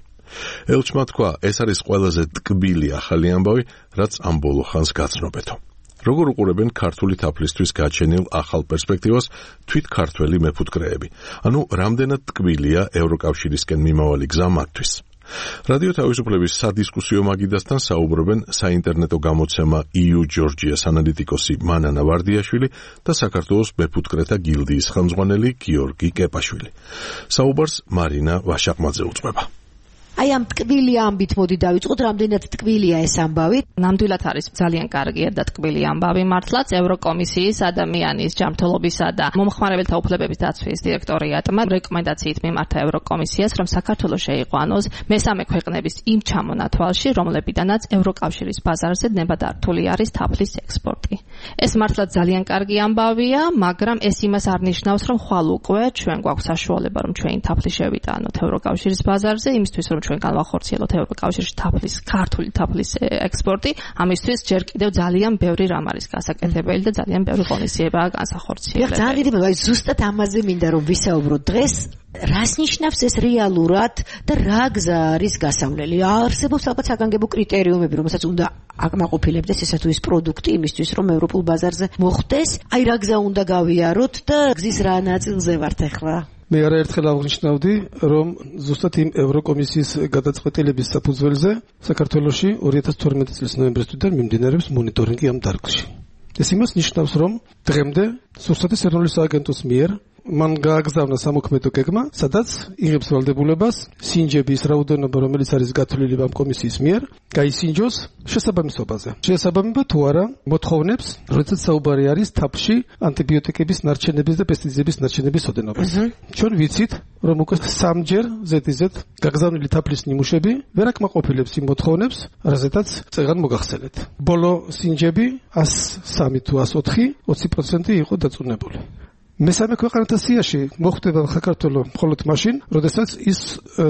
ელჩმა თქვა, ეს არის ყველაზე ტკბილი ახალი ამბავი, რაც ამ ბოლო ხანს გაცნობეთო. როგორ უყურებენ ქართული თაფლისთვის გაჩენილ ახალ პერსპექტივას თვით ქართველი მეფუტკრეები? ანუ რამდენად ტკბილია ევროკავშირისკენ მიმავალი გზა მათთვის? რადიო თავისუფლების სადისკუსიო მაგიდასთან საუბრობენ საინტერნეტო გამოცემა ი იუ ჯორჯიას ანალიტიკოსი მანანა ვარდიაშვილი და საქართველოს მეფუტკრეთა გილდიის ხელმძღვანელი გიორგი კეპაშვილი. საუბარს მარინა ვაშაყმაძე უძღვება. აი ამ ტკბილი ამბით მოდი დავიწყოთ, რამდენად ტკბილია ეს ამბავი? ნამდვილად არის ძალიან კარგი და ტკბილი ამბავი მართლაც. ევროკომისიის ადამიანის ჯანმრთელობისა და მომხმარებელთა უფლებების დაცვის დირექტორიატმა რეკომენდაციით მიმართა ევროკომისიას, რომ საქართველოს შეიყვანოს მესამე ქვეყნების იმ ჩამონათვალში, რომლებიდანაც ევროკავშირის ბაზარზე ნებადართული არის თაფლის ექსპორტი. ეს მართლაც ძალიან კარგი ამბავია, მაგრამ ეს იმას არ ნიშნავს, რომ ხვალ უკვე ჩვენ გვაქვს საშუალება, რომ ჩვენი თაფლი შევიტანოთ ევროკავშირის ბაზარზე, იმისთვის რომ ჩვენ განვახორციელოთ ევროკავშირში თაფლის, ქართული თაფლის ექსპორტი. ამისთვის ჯერ კიდევ ძალიან ბევრი რამ არის გასაკეთებელი და ძალიან ბევრი ღონისძიებაა განსახორციელებელი. ძალიან დიდი მადლობა. ზუსტად ამაზე მინდა რომ ვისაუბროთ დღეს. რას ნიშნავს ეს რეალურად და რა გზა არის გასავლელი? არსებობს ალბათ საგანგებო კრიტერიუმები, რომელსაც უნდა აკმაყოფილებდეს ესა თუ ის პროდუქტი იმისთვის, რომ ევროპულ ბაზარზე მოხვდეს. აი რა გზა უნდა გავიაროთ და გზის რა ნაწილზე ვართ ახლა? მე არაერთხელ აღნიშნავდი, რომ ზუსტად იმ ევროკომისიის გადაწყვეტილების საფუძველზე საქართველოში ორი ათას თორმეტი წლის ნოემბრისთვიდან მიმდინარეობს მონიტორინგი ამ დარგში. ეს იმას ნიშნავს, რომ დღემდე სურსათის ეროვნული სააგენტოს მიერ მან გააგზავნა სამოქმედო გეგმა, სადაც იღებს ვალდებულებას სინჯების რაოდენობა, რომელიც არის გათვლილი ამ კომისიის მიერ, გაისინჯოს შესაბამისობაზე. შესაბამება თუ არა მოთხოვნებს, როდესაც საუბარი არის თაფლში ანტიბიოტიკების ნარჩენების და პესტიციდების ნარჩენების ოდენობაზე. ჩვენ ვიცით, რომ უკვე სამჯერ ზედიზედ გაგზავნილი თაფლის ნიმუშები ვერ აკმაყოფილებს იმ მოთხოვნებს, რაზედაც წეგან მოგახსენეთ. ბოლო სინჯები εκατს სამი თუ εκατს ოთხი, ოცი პროცენტი იყო დაწუნებული. მესამე ქვეყანათა სიაში მოხვდება საქართველოს მხოლოდ მაშინ, როდესაც ის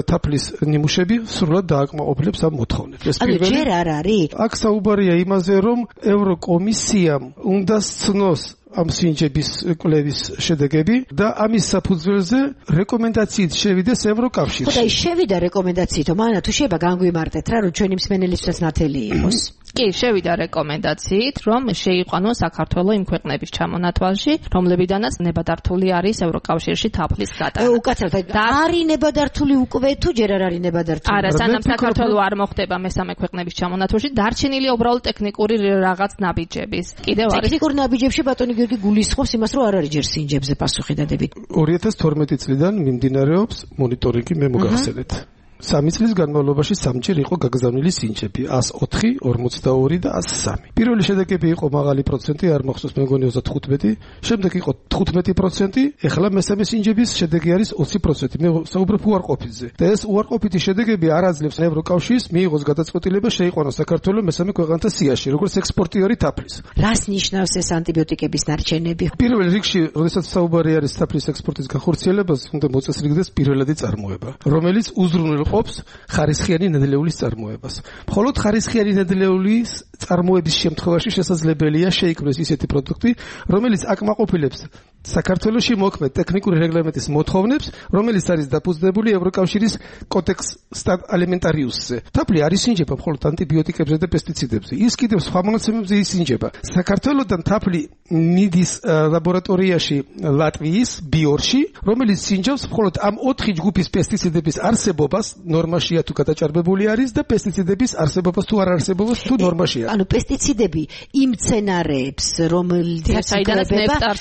თაფლის ნიმუშები სრულად დააკმაყოფილებს ამ მოთხოვნებს. ეს პირველი ჯერ არ არის. აქ საუბარია იმაზე, რომ ევროკომისიამ უნდა სცნოს ამ სინჯების კვლევის შედეგები და ამის საფუძველზე რეკომენდაციით შევიდეს ევროკავშირში. ხო და ის შევიდა რეკომენდაციით, მანა თუ შეიძლება განგვიმარტეთ რა, რომ ჩვენი მსმენელისთვის ნათელი იყოს. კი, შევიდა რეკომენდაციით, რომ შეიყვანოს საქართველოს იმ ქვეყნების ჩამონათვალში, რომლებიდანაც ნებადართული არის ევროკავშირში თაფლის გატანა. უკაცრავად, არის ნებადართული უკვე თუ ჯერ არ არის ნებადართული? არა, სანამ საქართველოს არ მოხდება მესამე ქვეყნების ჩამონათვალში, დარჩენილია უბრალოდ ტექნიკური რაღაც ნაბიჯების. კიდევ არის ტექნიკური ნაბიჯებში ბატონი გიორგი გულისხმობს იმას, რომ არ არის ჯერ სინჯებზე პასუხი დადებით. ორი ათას თორმეტი წლიდან მიმდინარეობს მონიტორინგი, მე მოგახსენეთ. სამი წლის განმავლობაში სამჯერ იყო გაგზავნილი სინჯები εκατს ოთხი, ორმოცდაორი და εκατს სამი. პირველი შედეგები იყო მაღალი პროცენტი, არ მახსოვს მე მგონი ოცდათხუთმეტი, შემდეგ იყო თხუთმეტი პროცენტი, ეხლა მესამე სინჯების შედეგი არის ოცი პროცენტი. მე საუბრობ უარყოფითზე. და ეს უარყოფითი შედეგები არ აძლევს ევროკავშირს მიიღოს გადაწყვეტილება შეიყვანოს საქართველოს მესამე ქვეყანთა სიაში, როგორც ექსპორტიორი თაფლის. რას ნიშნავს ეს ანტიბიოტიკების ნარჩენები? პირველ რიგში, როდესაც საუბარი არის თაფლის ექსპორტის განხორციელებას, უნდა მოწესრიგდეს პირველადი წარმოება, რომელიც უზრუნველყოფს ხარისხიანი ნედლეულის წარმოებას. მხოლოდ ხარისხიანი ნედლეულის წარმოების შემთხვევაში შესაძლებელია შეიქმნას ისეთი პროდუქტი, რომელიც აკმაყოფილებს საქართველოში მოქმედ ტექნიკური რეგლამენტის მოთხოვნებს, რომელიც არის დაფუძნებული ევროკავშირის კოდექს ალიმენტარიუსზე. თაფლი არ ისინჯება მხოლოდ ანტიბიოტიკებზე და პესტიციდებზე. ის კიდევ სხვა მონაცემებზე ისინჯება. საქართველოსთან თაფლი მიდის ლაბორატორიაში ლატვიის ბიორში, რომელიც სინჯავს მხოლოდ ამ ოთხი ჯგუფის პესტიციდების არსებობას, ნორმაშია თუ გადაჭარბებული არის და პესტიციდების არსებობას თუ არ არსებობას თუ ნორმაშია. ანუ პესტიციდები იმ მცენარეებს, რომელთაც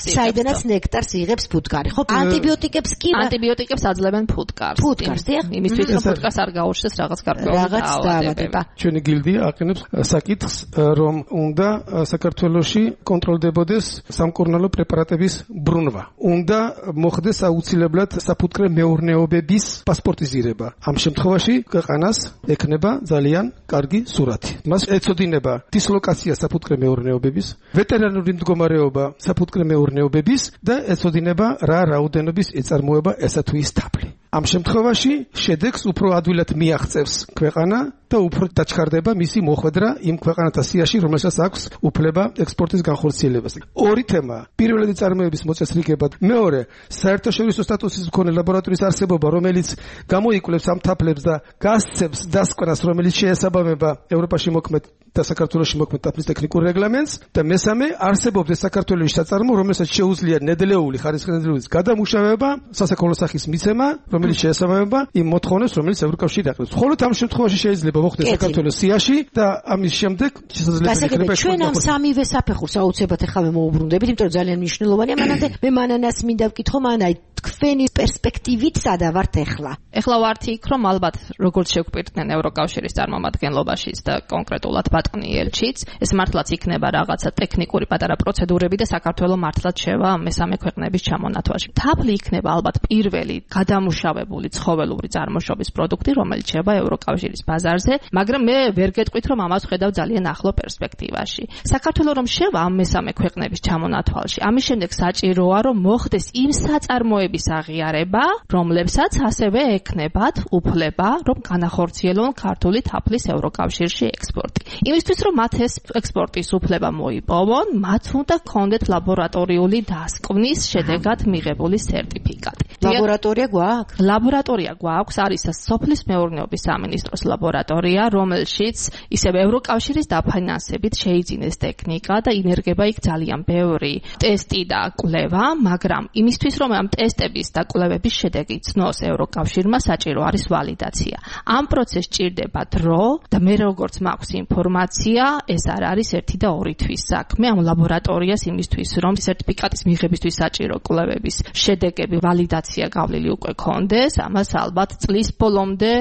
საიდანაც ნექტარს იღებს ფუტკარი, ხო? ანტიბიოტიკებს კი ანტიბიოტიკებს აძლევენ ფუტკარს. ფუტკარს, დიახ. იმისთვის რომ ფუტკარს არ გაუჩნდეს რაღაც გარკვეული დაავადება. ჩვენი გილდია აყენებს საკითხს, რომ უნდა საქართველოში კონტროლდებოდეს სამკურნალო პრეპარატების ბრუნვა. უნდა მოხდეს აუცილებლად საფუტკრე მეურნეობების პასპორტიზირება. ამ შემთხვევაში ქვეყანას ექნება ძალიან კარგი სურათი. მას ეწოდინება დისლოკაცია საფუტკრე მეურნეობების, ვეტერინარული მდგომარეობა საფუტკრე მეურნეობების და ეწოდინება რა რაოდენობის ეწარმოება ესა თუ ის თაფლი. ამ შემთხვევაში შედეგს უფრო ადვილად მიაღწევს ქვეყანა და უფრო დაჩქარდება მისი მოხვედრა იმ ქვეყანათა სიაში, რომელსაც აქვს უფლება ექსპორტის განხორციელებაზე. ორი თემა: პირველადი წარმოების მოწესრიგება, მეორე საერთაშორისო სტატუსის მქონე ლაბორატორიის არსებობა, რომელიც გამოიკვლევს ამ თაფლებს და გასცემს დასკვნას, რომელიც შეესაბამება ევროპაში მოქმედ და საქართველოში მოქმედ თაფლის ტექნიკურ რეგლამენტს და მესამე არსებობს საქართველოში საწარმო, რომელსაც შეუძლია ნედლეული ხარისხიანი ნედლეულის გადამუშავება, სასაქონლო სახის მიცემა, რომელიც შეესაბამება იმ მოთხოვნებს, რომელიც ევროკავშირი აკრებს. მხოლოდ ამ შემთხვევაში შეიძლება მოხდეს საქართველოს სიაში და ამის შემდეგ შესაძლებელი იქნება ჩვენ ამ სამივე საფეხურს აუცილებლად ახლა მე მოუბრუნდებით, იმიტომ რომ ძალიან მნიშვნელოვანია. მანამდე მე მანანას მინდა ვკითხო, მანაი თქვენი პერსპექტივით სადა ვართ ახლა? ახლა ვართ იქ, რომ ალბათ როგორც შეგვპირდნენ ევროკავშირის წარმომადგენლობაშიც და კონკრეტულად ბატონი ელჩიც, ეს მართლაც იქნება რაღაცა ტექნიკური პატარა პროცედურები და საქართველოს მართლაც შევა მესამე ქვეყნების ჩამონათვალში. თაფლი იქნება ალბათ პირველი გადამუშავებული ცხოველური წარმოშობის პროდუქტი, რომელიც შევა ევროკავშირის ბაზარზე, მაგრამ მე ვერ გეტყვით, რომ ამას ხედავ ძალიან ახლო პერსპექტივაში. საქართველოს რომ შევა ამ მესამე ქვეყნების ჩამონათვალში, ამის შემდეგ საჭიროა, რომ მოხდეს იმ საწარმოების აღიარება, რომლებსაც ასევე ექნებათ უფლება, რომ განახორციელონ ქართული თაფლის ევროკავშირში ექსპორტი. იმისთვის, რომ მათ ეს ექსპორტის უფლება მოიპოვონ, მათ უნდა ჰქონდეთ ლაბორატორიული დასკვნის შედეგად მიღებული სერტიფიკატი. ლაბორატორია გვაქვს? ლაბორატორია გვაქვს, არის სოფლის მეურნეობის სამინისტროს ლაბორატორია, რომელშიც ისევ ევროკავშირის დაფინანსებით შეიძინეს ტექნიკა და ინერგება იქ ძალიან ბევრი ტესტი და კვლევა, მაგრამ იმისთვის რომ ამ ტესტების და კვლევების შედეგი ცნოს ევროკავშირმა საჭირო არის ვალიდაცია. ამ პროცესს ჭირდება დრო და მე როგორც მაქვს ინფორმაცია, ეს არ არის ერთი და ორი თვის საქმე. ამ ლაბორატორიას იმისთვის რომ სერტიფიკატის მიღებისთვის საჭირო კვლევების შედეგები ვალიდაცია გავლილი უკვე ქონდეს, ამას ალბათ წლის ბოლომდე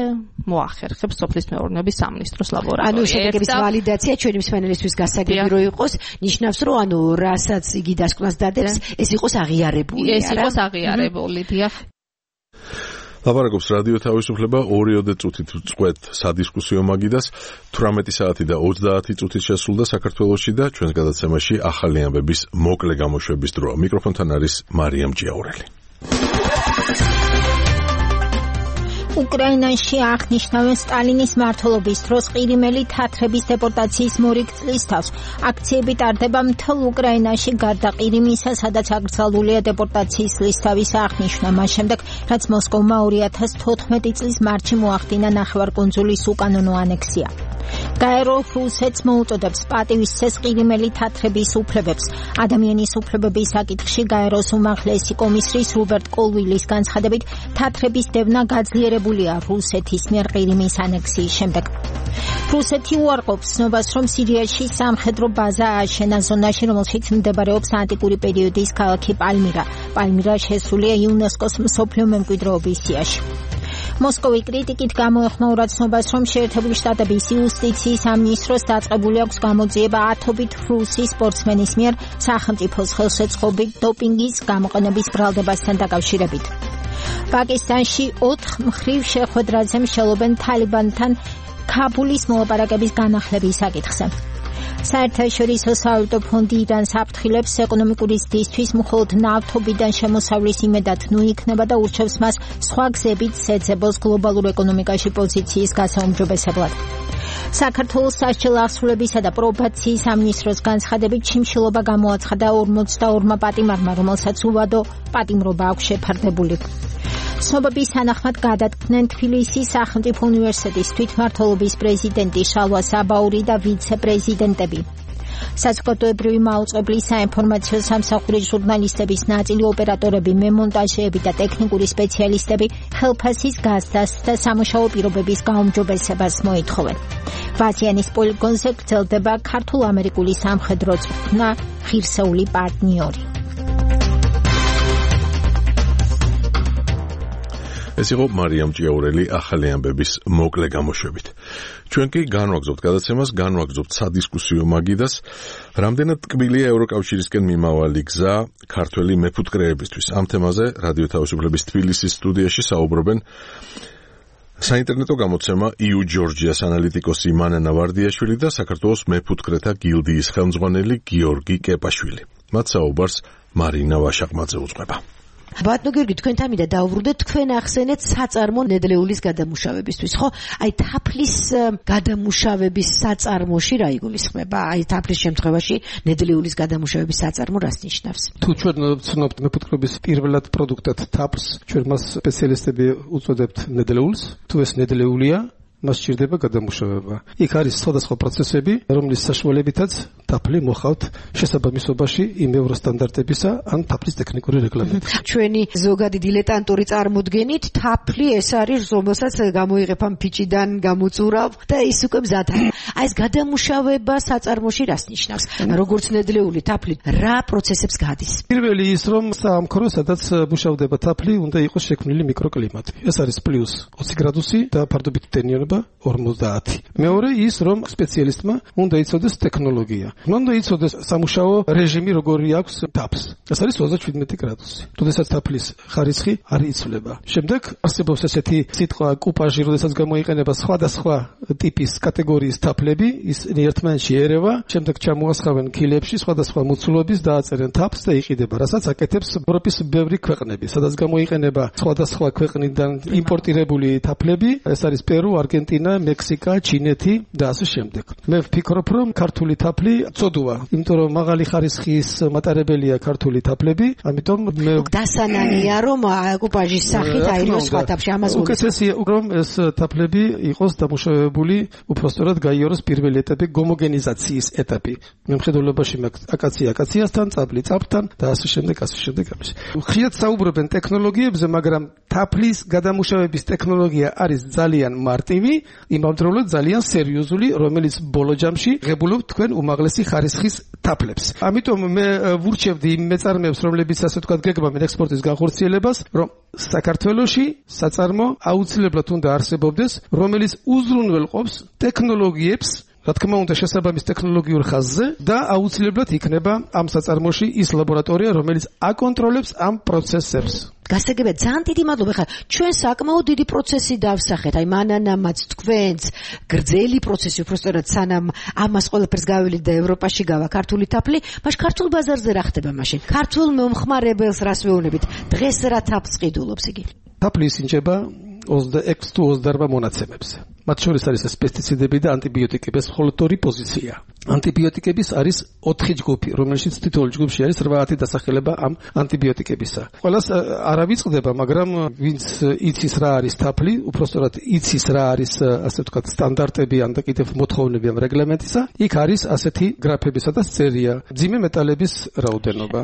მოახერხებს სოფლის მეურნეობის სამინისტროს ლაბორატორია. ანუ შედეგების ვალიდაცია ჩვენი მსმენელისთვის გასაგები რო იყოს, ნიშნავს რომ ანუ რასაც იგი დასკვნას დადებს, ეს იყოს აღიარებული. ეს იყოს აღიარებული, დიახ. ლაპარაკობს რადიო თავისუფლება ორიოდე წუთით წყვეთ სადისკუსიო მაგიდას თვრამეტი საათი და ოცდაათი წუთით შესულდა საქართველოში და ჩვენს გადაცემაში ახალი ამბების მოკლე გამოშვების დროა. მიკროფონთან არის მარიამ ჯიაურელი. უკრაინაში აღნიშნავენ სტალინის მმართველობის დროს ყირიმელი თათრების დეპორტაციის მორიგ წლის თავს. აქციები ტარდება მთელ უკრაინაში გარდა ყირიმისა, სადაც აკრძალულია დეპორტაციის ლისთავის აღნიშვნა, მას შემდეგ, რაც მოსკოვმა ორი ათას თოთხმეტი წლის მარტში მოახდინა ნახევარკუნძულის უკანონო ანექსია. გაერო რუსეთს მოუწოდებს პატივისცეს ყირიმელი თათრების უფლებებს. ადამიანის უფლებების საკითხში გაეროს უმაღლესი კომისრის რუბერტ კოლვილის განცხადებით, თათრების დევნა გაძლიერებულია რუსეთის მიერ ყირიმის ანექსიის შემდეგ. რუსეთი უარყოფს ცნობას, რომ სირიაში სამხედრო ბაზა ააშენა ზონაში, რომელშიც მდებარეობს ანტიკური პერიოდის ქალაქი პალმირა. პალმირა შესულია იუნესკოს მსოფლიო მემკვიდრეობის სიაში. მოსკოვი კრიტიკით გამოეხმაურა ცნობას, რომ შეერთებული შტატების იუსტიციის სამინისტროს დაწყებული აქვს გამოძიება ათობით რუსი სპორტსმენის მიერ სახელმწიფოს ხელშეწყობით დოპინგის გამოყენების ბრალდებასთან დაკავშირებით. პაკისტანში ოთხ მხრივ შეხვედრაზე მსჯელობენ თალიბანთან ქაბულის მოლაპარაკების განახლების საკითხზე. საერთაშორისო სავალუტო ფონდი ირანს აფრთხილებს ეკონომიკური ზრდისთვის მხოლოდ ნავთობიდან შემოსავლის იმედად ნუ იქნება და ურჩევს მას სხვა გზებით შეძებოს გლობალურ ეკონომიკაში პოზიციის გასაუმჯობესებლად. საქართველოს სასჯელ აღსრულებისა და პრობაციის სამინისტროს განცხადებით შიმშილობა გამოაცხადა ორმოცდაორმა პატიმარმა, რომელსაც უვადო პატიმრობა აქვს შეფარდებული. ცნობების თანახმად გადადგნენ თბილისის სახელმწიფო უნივერსიტეტის თვითმმართველობის პრეზიდენტი შალვა საბაური და ვიცე-პრეზიდენტები. საზოგადოებრივი მაუწყებლის საინფორმაციო სამსახურის ჟურნალისტების ნაწილი, ოპერატორები, მემონტაჟეები და ტექნიკური სპეციალისტები ხელფასის გაზრდას და სამუშაო პირობების გაუმჯობესებას მოითხოვენ. ვაზიანის პოლიგონზე გრძელდება ქართულ-ამერიკული სამხედრო წვრთნა ღირსეული პარტნიორი. ეს იყო მარიამ ჭიაურელი ახალი ამბების მოკლე გამოშვებით. ჩვენ კი განვაგრძობთ გადაცემას, განვაგრძობთ სადისკუსიო მაგიდას. რამდენად ტკბილია ევროკავშირისკენ მიმავალი გზა ქართველი მეფუტკრეებისთვის. ამ თემაზე რადიო თავისუფლების თბილისის სტუდიაში საუბრობენ საინტერნეტო გამოცემა იუ ჯორჯიას ანალიტიკოსი მანანა ვარდიაშვილი და საქართველოს მეფუტკრეთა გილდიის ხელმძღვანელი გიორგი კეპაშვილი. მათ საუბარს მარინა ვაშაყმაძე უძღვება. ბატონო გიორგი, თქვენთან მინდა დავუბრუნდეთ, თქვენ ახსენეთ საწარმო ნედლეულის გადამუშავებისთვის, ხო? აი თაფლის გადამუშავების საწარმოში რა იგულისხმება? აი თაფლის შემთხვევაში ნედლეულის გადამუშავების საწარმო რას ნიშნავს? თუ ჩვენ ვცნობთ მეფუტკრეობის პირველად პროდუქტად თაფლს, ჩვენ მას სპეციალისტები უწოდებთ ნედლეულს, თუ ეს ნედლეულია, მას სჭირდება გადამუშავება. იქ არის სხვადასხვა პროცესები, რომლის საშუალებითაც თაფლი მოხავთ შესაბამისობაში იმ ევროსტანდარტებისა ან თაფლის ტექნიკური რეგლამენტის. ჩვენი ზოგადი დილეტანტური წარმოდგენით თაფლი ეს არის, რომელსაც გამოიღებ ამ ფიჭიდან, გამოწურავ და ის უკვე მზადაა. აი ეს გადამუშავება საწარმოში რას ნიშნავს? როგორც ნედლეული თაფლი რა პროცესებს გადის? პირველი ის, რომ საამქრო, სადაც მუშავდება თაფლი, უნდა იყოს შექმნილი მიკროკლიმატი. ეს არის პლუს ოცი გრადუსი და ფარდობითი ტენიანობა ორმოცდაათი. მეორე ის, რომ სპეციალისტმა უნდა იცოდეს ტექნოლოგია. უნდა იცოდეს სამუშაო რეჟიმი როგორი აქვს თაფლს. ეს არის ოცდაშვიდმეტი გრადუსი. როდესაც თაფლის ხარისხი არ იცვლება. შემდეგ არსებობს ესეთი სიტყვა კუპაჟი, როდესაც გამოიყენება სხვადასხვა ტიპის კატეგორიის თაფლი თაფლები, ისინი ერთმანეთში ერევა, შემდეგ ჩამოასხავენ ქილებში, სხვადასხვა მოცულობის დააწერენ თაფლს და იყიდება, რასაც აკეთებს ევროპის ბევრი ქვეყნები, სადაც გამოიყენება სხვადასხვა ქვეყნიდან იმპორტირებული თაფლები, ეს არის პერუ, არგენტინა, მექსიკა, ჩინეთი და ასე შემდეგ. მე ვფიქრობ, რომ ქართული თაფლი წოდუა, იმიტომ რომ მაღალი ხარისხის მატარებელია ქართული თაფლები, ამიტომ მე დასანანია რომ აკუპაჟის სახით აიროს სხვა თაფლში ამას გულისხმობ. უკეთესია რომ ეს თაფლები იყოს დამუშავებული, უბრალოდ გაიაროს პირველი ეტაპი, გომოგენიზაციის ეტაპი. მემხედველობაში აკაცია აკაციასთან, წაბლი წაბლთან და ასე შემდეგ, ასე შემდეგ. ხშირად საუბრობენ ტექნოლოგიებზე, მაგრამ თაფლის გადამუშავების ტექნოლოგია არის ძალიან მარტივი, იმავდროულად ძალიან სერიოზული, რომელიც ბოლო ჯამში ღებულობთ თქვენ უმაღლესი ხარისხის თაფლებს. ამიტომ მე ვურჩევდი იმ მეწარმეებს, რომლებიც ასე ვთქვათ გეგმავენ ექსპორტის განხორციელებას, რომ საქართველოში საწარმო აუცილებლად უნდა არსებობდეს, რომელიც უზრუნველყოფს ტექნოლოგიებს, რა თქმა უნდა შესაბამის ტექნოლოგიურ ხაზზე და აუცილებლად იქნება ამ საწარმოში ის ლაბორატორია, რომელიც აკონტროლებს ამ პროცესებს. გასაგებია, ძალიან დიდი მადლობა. ხა ჩვენ საკმაოდ დიდი პროცესი დავსახეთ. აი მანანამაც თქვენს გრძელი პროცესი, უბრალოდ სანამ ამას ყველაფერს გავილით და ევროპაში გავა ქართული თაფლი, მაშ ქართულ ბაზარზე რა ხდება მაშინ? ქართულ მომხმარებელს რას ვეუბნებით? დღეს რა თაფლს ყიდულობს იგი? თაფლი ისინჯება ოცდაექვსი თუ ოცდაარბა მონაცემებს. მათ შორის არის პესტიციდები და ანტიბიოტიკების მხოლოდ ორი პოზიცია. ანტიბიოტიკების არის ოთხი ჯგუფი, რომელშიც თითოეულ ჯგუფში არის რვაათი დასახელება ამ ანტიბიოტიკებისა. ყველას არ ავიწყდება, მაგრამ ვინც იცის რა არის თაფლი, უბრალოდ იცის რა არის, ასე ვთქვათ, სტანდარტები ან და კიდევ მოთხოვნები ამ რეგლამენტისა, იქ არის ასეთი გრაფები, სადაც წერია მძიმე მეტალების რაოდენობა,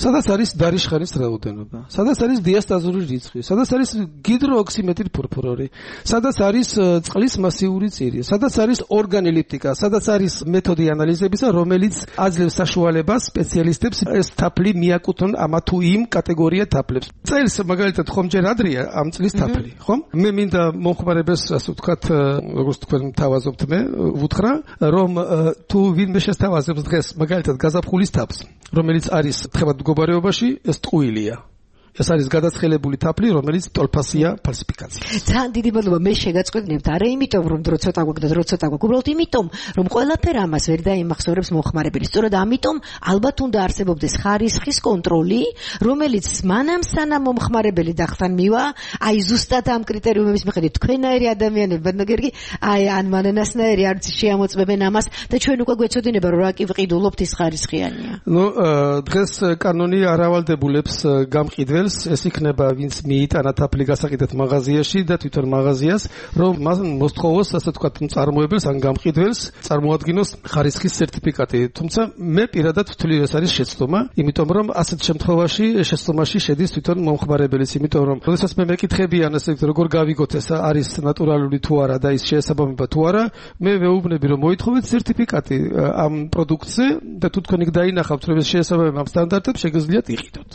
სადაც არის დარიშხანის რაოდენობა, სადაც არის დიასტაზური რიცხვი, სადაც არის გიდროოქსიმეტილ ფურფურორი, სადაც არის წყლის მასიური წირი, სადაც არის ორგანოლეპტიკა, სადაც არის მეთოდი ანალიზებისა, რომელიც აძლევს საშუალებას სპეციალისტებს ეს თაფლი მიაკუთვნონ ამა თუ იმ კატეგორია თაფლებს. წელს მაგალითად ხომჯერ ადრია ამ წლის თაფლი, ხომ? მე მინდა მომხმარებელს, ასე ვთქვათ, როგორც თქვენ მთავაზობთ, მე ვუთხრა, რომ თუ ვინმე შესთავაზებს დღეს მაგალითად გაზაფხულის თაფლს, რომელიც არის თხევად მდგომარეობაში, ეს ტყუილია. ეს არის გადაცხელებული თაფლი, რომელიც ტოლფასია ფალსიფიკაცია. ძალიან დიდი მადლობა, მე შეგაწყვეტნებთ, არა იმიტომ რომ დრო ცოტა გვაქვს და დრო ცოტა გვაქვს, უბრალოდ იმიტომ რომ ყველაფერ ამას ვერ დაიმახსოვრებს მომხმარებელი. სწორედ ამიტომ ალბათ უნდა არსებობდეს ხარისხის კონტროლი, რომელიც მანამ სანამ მომხმარებელი დახთან მივა, აი ზუსტად ამ კრიტერიუმების მიხედვით თქვენაერი ადამიანები, ბედნიერი, აი ან მანანასნაირი არც შეამოწმებენ ამას და ჩვენ უკვე გვეცოდინება რომ რა კი ვყიდულობთ ის ხარისხიანია. ნუ დღეს კანონი არ ავალდებულებს გამყიდველს, ეს იქნება ვინც მიიტანა თაფლი გასაყიდად მაღაზიაში და თვითონ მაღაზიას, რომ მას მოსთხოვოს, ასე ვთქვათ, მწარმოებელს ან გამყიდველს წარმოადგინოს ხარისხის სერტიფიკატი. თუმცა მე პირადად ვთვლი, ეს არის შეცდომა, იმიტომ რომ ასეთ შემთხვევაში შეცდომაში შედის თვითონ მომხმარებელიც, იმიტომ რომ როდესაც მე მეკითხებიან, ასე ვთქვათ, როგორ გავიგოთ ეს არის ნატურალური თუ არა და ის შეესაბამება თუ არა, მე ვეუბნები, რომ მოითხოვეთ სერტიფიკატი ამ პროდუქტზე და თუ თქვენ იქ დაინახავთ, რომ ეს შეესაბამება ამ სტანდარტებს, შეგიძლიათ იყიდოთ.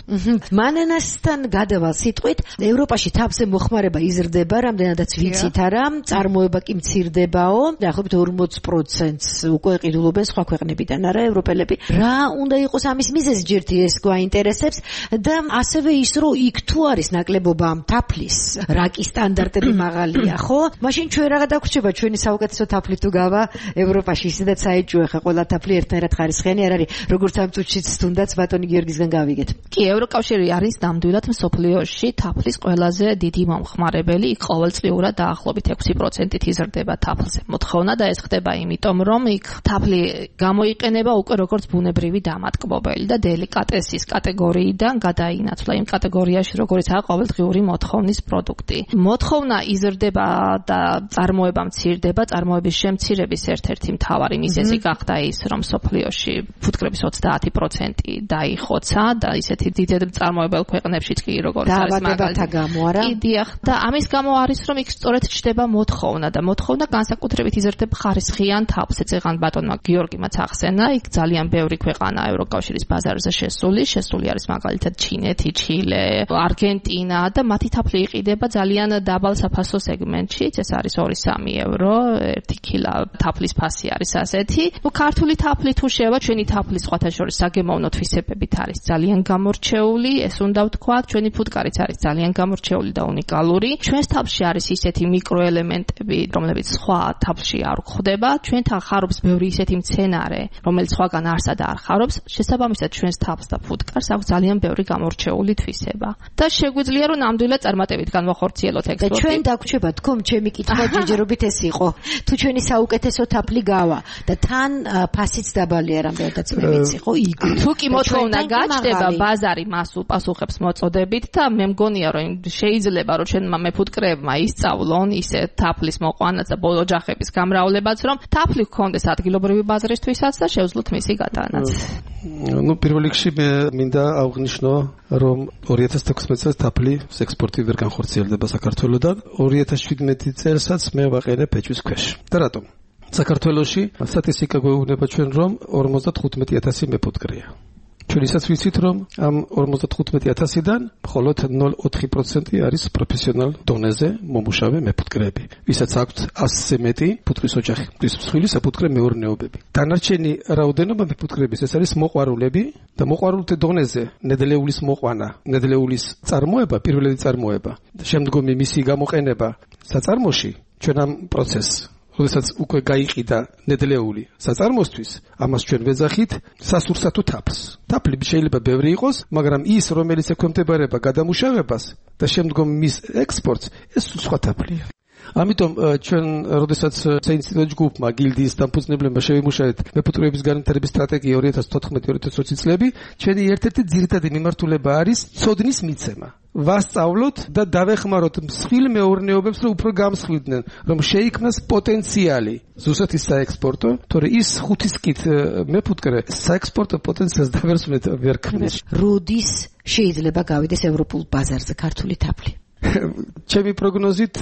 მანანას თან გადავალ სიტყვით, ევროპაში თაფლზე მოხმარება იზრდება, რამდენადაც ვიცით არა, წარმოება კი მცირდებაო, დაახლოებით ორმოც პროცენტს უკვე ყიდულობენ სხვა ქვეყნებიდან, არა ევროპელები. რა უნდა იყოს ამის მიზეზი, ჯერთი ეს გვაინტერესებს და ასევე ის, რომ იქ თუ არის ნაკლებობა თაფლის, რა კი სტანდარტები მაღალია, ხო? მაშინ ჩვენ რა გადაგვრჩება ჩვენი საუკეთესო თაფლი თუ გავა ევროპაში, ისედაც საეჭვოა ხა ყველა თაფლი ერთნაირად ხარისხიანი არ არის, როგორც ამ წუთშიც თუნდაც ბატონი გიორგისგან გავიგეთ. კი, ევროკავშირი არის ნამდვილად მსოფლიოში თაფლის ყველაზე დიდი მომხმარებელი, იქ ყოველწლიურად დაახლოებით ექვსი პროცენტით იზრდება თაფლზე მოთხოვნა და ეს ხდება იმიტომ, რომ იქ თაფლი გამოიყენება უკვე როგორც ბუნებრივი დამატკბობელი და დელიკატესის კატეგორიიდან გადაინაცვლა იმ კატეგორიაში, როგორიცაა ყოველდღიური მოთხოვნის პროდუქტი. მოთხოვნა იზრდება და წარმოება მცირდება, წარმოების შემცირების ერთ-ერთი მთავარი მიზეზი გახდა ის, რომ მსოფლიოში ფუტკრების ოცდაათი პროცენტი დაიხოცა და ისეთი დიდ წარმოებელ ქვეყნებშიც კი როგორც არის მაგალითად გამო არა? კი, დიახ, და ამის გამო არის, რომ იქ სწორედ ჩდება მოთხოვნა და მოთხოვნა განსაკუთრებით იზრდება ხარისხიან თაფლზე. წეგან ბატონმა გიორგიმაც ახსენა, იქ ძალიან ბევრი ქვეყანა ევროკავშირის ბაზარზე შესული, შესული არის მაგალითად ჩინეთი, ჩილე, არგენტინა და მათი თაფლი იყიდება ძალიან დაბალ საფასო სეგმენტში, ეს არის ორი სამი ევრო, ერთი კილა თაფლის ფასი არის ასეთი. ნუ ქართული თაფლი თუ შევა, ჩვენი თაფლის სხვათა შორის საგემოვნო თვისებებით არის ძალიან გამორჩეული, ეს უნდა ვთქვა თქვა, ჩვენი ფუტკარიც არის ძალიან გამორჩეული და უნიკალური. ჩვენს თავს არის ისეთი მიკროელემენტები, რომლებიც სხვა თავში არ გვხვდება. ჩვენთან ხარობს ბევრი ისეთი მცენარე, რომელიც სხვაგან არსად არ ხარობს. შესაბამისად, ჩვენს თავს და ფუტკარს აქვს ძალიან ბევრი გამორჩეული თვისება. და შეგვიძლია რომ ნამდვილად წარმატებით განვახორციელოთ ექსპორტი. და ჩვენ დაგვრჩება თქო, ჩემი კითხვა ჯერჯერობით ეს იყო. თუ ჩვენი საუკეთესო თაფლი გავა და თან ფასიც დაბალია, რამდენადაც მე ვიცი, ხო, იგივე. თუ კი მოთხოვნა გაჩნდება, ბაზარი მას უპასუხებს მოწოდებით და მე მგონია რომ შეიძლება რომ ჩვენმა მეფუტკრეებმა ისწავლონ ისე თაფლის მოყვანაც და ბოლო ოჯახების გამრავლებაც, რომ თაფლი გქონდეს ადგილობრივი ბაზრისთვისაც და შეძლოთ მისი გატანაც. ну პირველ რიგში მე მინდა აღვნიშნო რომ ორი ათას თექვსმეტ წელს თაფლის ექსპორტი ვერ განხორციელდება საქართველოსთან. ორი ათას შვიდმეტი წელსაც მე ვაყენებ ეჭვის ქვეშ. და რატომ? საქართველოში სტატისტიკა გვეუბნება ჩვენ რომ ორმოცდათხუთმეტი ათასი მეფუტკრეა. ჩვენ ისაც ვიცით რომ ამ ორმოცდათხუთმეტი ათასიდან მხოლოდ ნული კoma ოთხი პროცენტი არის პროფესიონალ დონეზე მომუშავე მეფუტკრეები, ვისაც აქვთ ასზე მეტი ფუტკრის ოჯახი, ის მსხვილი საფუტკრე მეურნეობები. დანარჩენი რაოდენობა მეფუტკრეების ეს არის მოყვარულები და მოყვარულთა დონეზე ნედლეულის მოყვანა, ნედლეულის წარმოება, პირველი წარმოება და შემდგომი მისი გამოყენება საწარმოში ჩვენ ამ პროცესს როდესაც უკვე გაიყიდა ნედლეული საწარმოსთვის, ამას ჩვენ ვეძახით სასურსათო თაფლს. თაფლი შეიძლება ბევრი იყოს, მაგრამ ის, რომელიც ექვემდებარება გადამუშავებას და შემდგომ მის ექსპორტს, ეს სხვა თაფლია. ამიტომ ჩვენ როდესაც საინსტიტუტო ჯგუფმა გილდიის დამფუძნებლებმა შევიმუშავეთ მეფუტკრეების განვითარების სტრატეგია ორი ათას თოთხმეტი ორი ათას ოცი წლები, ჩვენი ერთ-ერთი ძირითადი მიმართულება არის ცოდნის მიცემა. ვასწავლოთ და დავეხმაროთ მსხვილ მეურნეობებს, რომ უფრო გამსხვილდნენ, რომ შეიქმნას პოტენციალი ზუსტად საექსპორტო, თორე ის ხუთის კით მეფუტკრე საექსპორტო პოტენციალს დავერსმეთ ვერ ქმნის. როდის შეიძლება გავიდეს ევროპულ ბაზარზე ქართული თაფლი? ჩემი პროგნოზით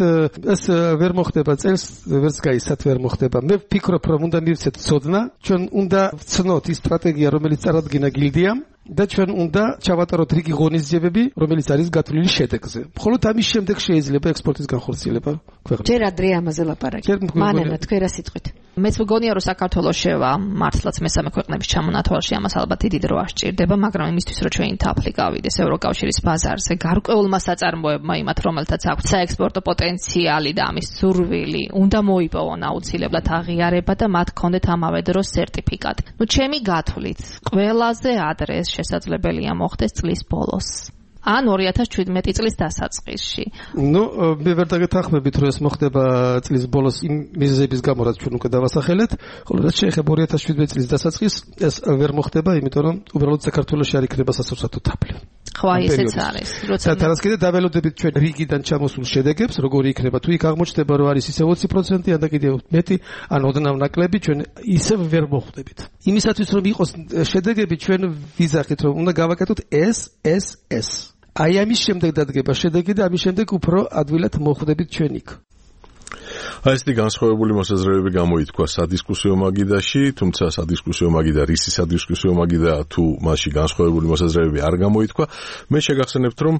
ეს ვერ მოხდება წელს, ვერც გაიცათ ვერ მოხდება. მე ვფიქრობ, რომ უნდა მივცეთ ცოდნა, ჩვენ უნდა ვცნოთ ის სტრატეგია, რომელიც წარადგინა გილდიამ და ჩვენ უნდა ჩავატაროთ რიგი ღონისძიებები, რომელიც არის გათვლილი შედეგზე. მხოლოდ ამის შემდეგ შეიძლება ექსპორტის განხორციელება ქვეყნაში. ჯერ ადრე ამაზე ლაპარაკი. მანელა თქვენ რა სიტყვით? მეც მგონია რომ საქართველოს შევა მართლაც მესამე ქვეყნების ჩამონათვალში, ამას ალბათ დიდი დრო არ სჭირდება, მაგრამ იმისთვის რომ ჩვენი თაფლი გავიდეს ევროკავშირის ბაზარზე, გარკვეულმა საწარმოებმა იმათ, რომელთაც აქვს საექსპორტო პოტენციალი და ამის სურვილი, უნდა მოიპოვონ აუცილებლად აღიარება და მათ ჰქონდეთ ამავე დროს სერტიფიკატი. ნუ ჩემი გათვლით, ყველაზე ადრე შესაძლებელია მოხდეს წლის ბოლოს. ან ორი ათას შვიდმეტი წლის დასაწყისში. ნუ მე ვერ დაგეთანხმებით რომ ეს მოხდება წლის ბოლოს იმ მიზეზების გამო, რაც ჩვენ უკვე დავასახელეთ, ხოლო რაც შეეხება ორი ათას შვიდმეტი წლის დასაწყისს, ეს ვერ მოხდება, იმიტომ რომ უბრალოდ საქართველოში არ იქნება სასურსათო თაფლი. ხო, ესეც არის. როცა თანაც კიდე დაველოდებით ჩვენ რიგიდან ჩამოსულ შედეგებს, როგორი იქნება, თუ იქ აღმოჩნდება რომ არის ისე ოცი პროცენტი, ან და კიდევ მეტი, ან ოდნავ ნაკლები, ჩვენ ისევ ვერ მოხვდებით. იმისათვის რომ იყოს შედეგები, ჩვენ ვიზახით რომ უნდა გავაკეთოთ ეს, ეს, ეს. აი ამის შემდეგ დადგება შედეგი და ამის შემდეგ უფრო ადვილად მოხვდებით ჩვენ იქ. აი ესეთი განსხვავებული მოსაზრებები გამოითქვა სადისკუსიო მაგიდაში, თუმცა სადისკუსიო მაგიდა რისი სადისკუსიო მაგიდა თუ მასში განსხვავებული მოსაზრებები არ გამოითქვა. მე შეგახსენებთ, რომ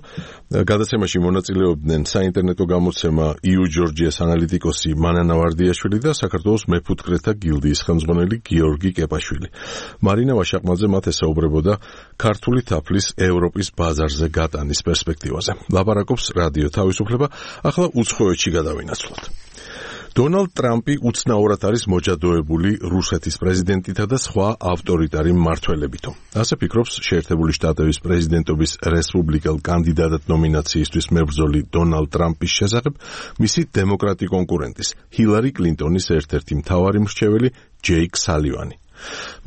გადაცემაში მონაწილეობდნენ საინტერნეტო გამოცემა იუ ჯორჯიას ანალიტიკოსი მანანა ვარდიაშვილი და საქართველოს მეფუტკრეთა გილდიის ხელმძღვანელი გიორგი კეპაშვილი. მარინა ვაშაყმაძე მათ ესაუბრებოდა ქართული თაფლის ევროპის ბაზარზე გატანის პერსპექტივაზე. ლაპარაკობს რადიო თავისუფლება, ახლა უცხოეთში გადავინაცვლოთ. დონალდ ტრამპი უცნაურად არის მოჯადოებული რუსეთის პრეზიდენტითა და სხვა ავტორიტარი მმართველებითო. ასე ფიქრობს შეერთებული შტატების პრეზიდენტობის რესპუბლიკელ კანდიდატად ნომინაციისთვის მებრძოლი დონალდ ტრამპის შესახებ მისი დემოკრატი კონკურენტის ჰილარი კლინტონის ერთ-ერთი მთავარი მრჩეველი ჯეიკ სალივანი.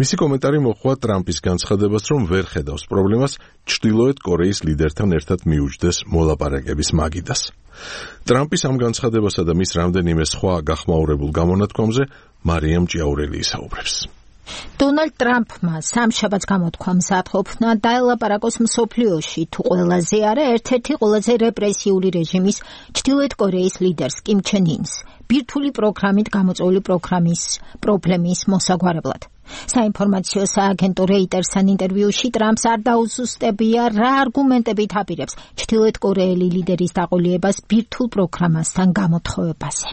მისი კომენტარი მოჰყვა ტრამპის განცხადებას, რომ ვერ ხედავს პრობლემას ჩრდილოეთ კორეის ლიდერთან ერთად მიუჯდეს მოლაპარაკების მაგიდას. ტრამპის ამ განცხადებასა და მის რამდენიმე სხვა გახმაურებულ გამონათქვამზე მარიამ ჭიაურელი ისაუბრებს. დონალდ ტრამპმა სამშაბათს გამოთქვა მზადყოფნა დაელაპარაკოს მსოფლიოში თუ ყველაზე არა ერთ-ერთი ყველაზე რეპრესიული რეჟიმის ჩრდილოეთ კორეის ლიდერს კიმ ჩენ ინს ბირთვული პროგრამით გამოწვეული პროგრამის პრობლემის მოსაგვარებლად. საინფორმაციო სააგენტო რეიტერსთან ინტერვიუში ტრამპს არ დაუზუსტებია რა არგუმენტებით აპირებს ჩრდილოეთ კორეელი ლიდერის დაყოლიებას ბირთვულ პროგრამასთან გამოთხოვებაზე.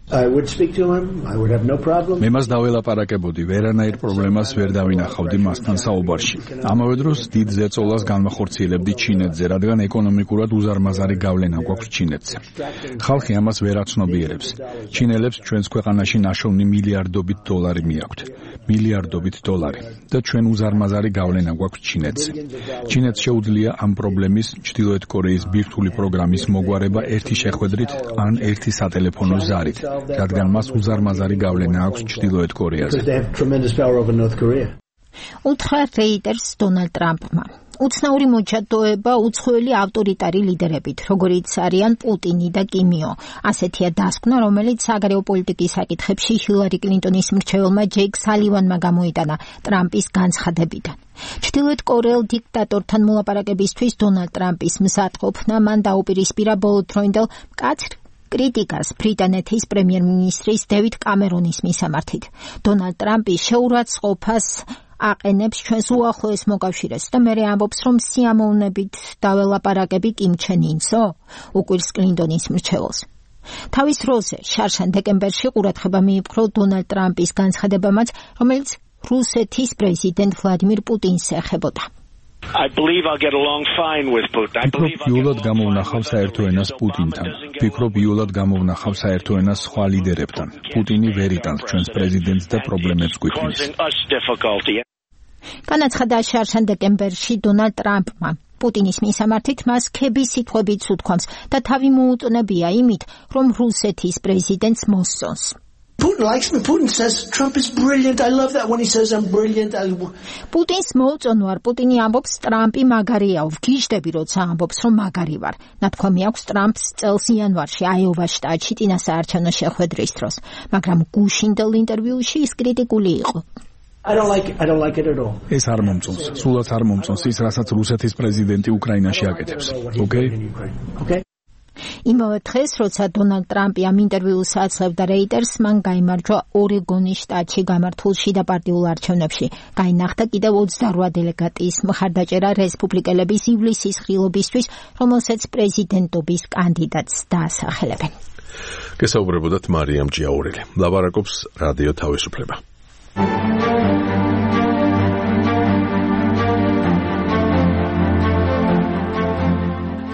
I would speak to him. I would have no problem. მე მას დაველაპარაკებოდი, ვერანაირ პრობლემას ვერ დავინახავდი მასთან საუბარში. ამავე დროს დიდ ზეწოლას განმახორციელებდი ჩინეთზე, რადგან ეკონომიკურად უზარმაზარი გავლენა გვაქვს ჩინეთზე. ხალხი ამას ვერ აცნობიერებს. ჩინელებს ჩვენს ქვეყანაში ნაშოვნი მილიარდობით დოლარი მიაქვთ. მილიარდობით დოლარი და ჩვენ უზარმაზარი გავლენა გვაქვს ჩინეთზე. ჩინეთს შეუძლია ამ პრობლემის ჩრდილოეთ კორეის ბირთვული პროგრამის მოგვარება ერთი შეხვედრით ან ერთი სატელეფონო ზარით, რადგან მას უზარმაზარი გავლენა აქვს ჩრდილოეთ კორეაზე. უთხრა რეიტერს დონალდ ტრამპმა. უცნაური მოჩატოება უცხოელი ავტორიტარი ლიდერებით, როგორიც არიან პუტინი და კიმიო. ასეთია დასკვნა, რომელიც საგარეო პოლიტიკის საკითხებში ჰილარი კლინტონის მრჩეველმა ჯეიკ სალივანმა გამოიტანა ტრამპის განცხადებიდან. ჩრდილოეთ კორეელ დიქტატორთან მოლაპარაკებისთვის დონალდ ტრამპის მზადყოფნა მან დაუპირისპირა ბოლოდროინდელ მკაცრ კრიტიკას ბრიტანეთის პრემიერ-მინისტრის დევიდ კამერონის მისამართით. დონალდ ტრამპი შეურაცხყოფას აყენებს ჩვენს უახლოეს მოკავშირეს და მერე ამბობს, რომ სიამოვნებით დაველაპარაკები კიმ ჩენ ინსო, უკვირს კლინტონის მრჩეველს. თავის დროზე შარშან დეკემბერში ყურადღება მიიპყრო დონალდ ტრამპის განცხადებამაც, რომელიც რუსეთის პრეზიდენტ ვლადიმირ პუტინს ეხებოდა. I believe I'll get along fine with Putin. I believe იულად გამოვნახავ საერთო ენას პუტინთან. ვფიქრობ იულად გამოვნახავ საერთო ენას სხვა ლიდერებთან. პუტინი ვერ იტანს ჩვენს პრეზიდენტს და პრობლემებს გვიქმნის. განაცხადა შარშან დეკემბერში დონალდ ტრამპმა. პუტინის მისამართით მას ქების სიტყვებით უთქვამს და თავი მოუწონებია იმით, რომ რუსეთის პრეზიდენტს მოსწონს. Putin likes me. Putin says Trump is brilliant. I love that when he says I'm brilliant. I... პუტინს მოუწონვარ. პუტინი ამბობს, ტრამპი მაგარია. ვგიჟდები, როცა ამბობს, რომ მაგარი ვარ. ნათქვამი აქვს ტრამპს წელს იანვარში აიოვას შტატში წინასაარჩევნო შეხვედრის დროს, მაგრამ გუშინდელ ინტერვიუში ის კრიტიკული იყო. I don't like it. I don't like it at all. ეს არ მომწონს. სულაც არ მომწონს ის, რასაც რუსეთის პრეზიდენტი უკრაინაში აკეთებს. Okay? Okay. იმავე დღეს, როცა დონალდ ტრამპი ამ ინტერვიუს აძლევდა რეიტერს, მან გაიმარჯვა ორეგონის შტატში გამართულ შიდა პარტიულ არჩევნებში. გაინახდა კიდევ ოცდარვა დელეგატის მხარდაჭერა რესპუბლიკელების ივლისის ღილობისთვის, რომელსაც პრეზიდენტობის კანდიდატს დაასახელებენ. გესაუბრებოდათ მარიამ ჭიაურელი. ლაპარაკობს რადიო თავისუფლება.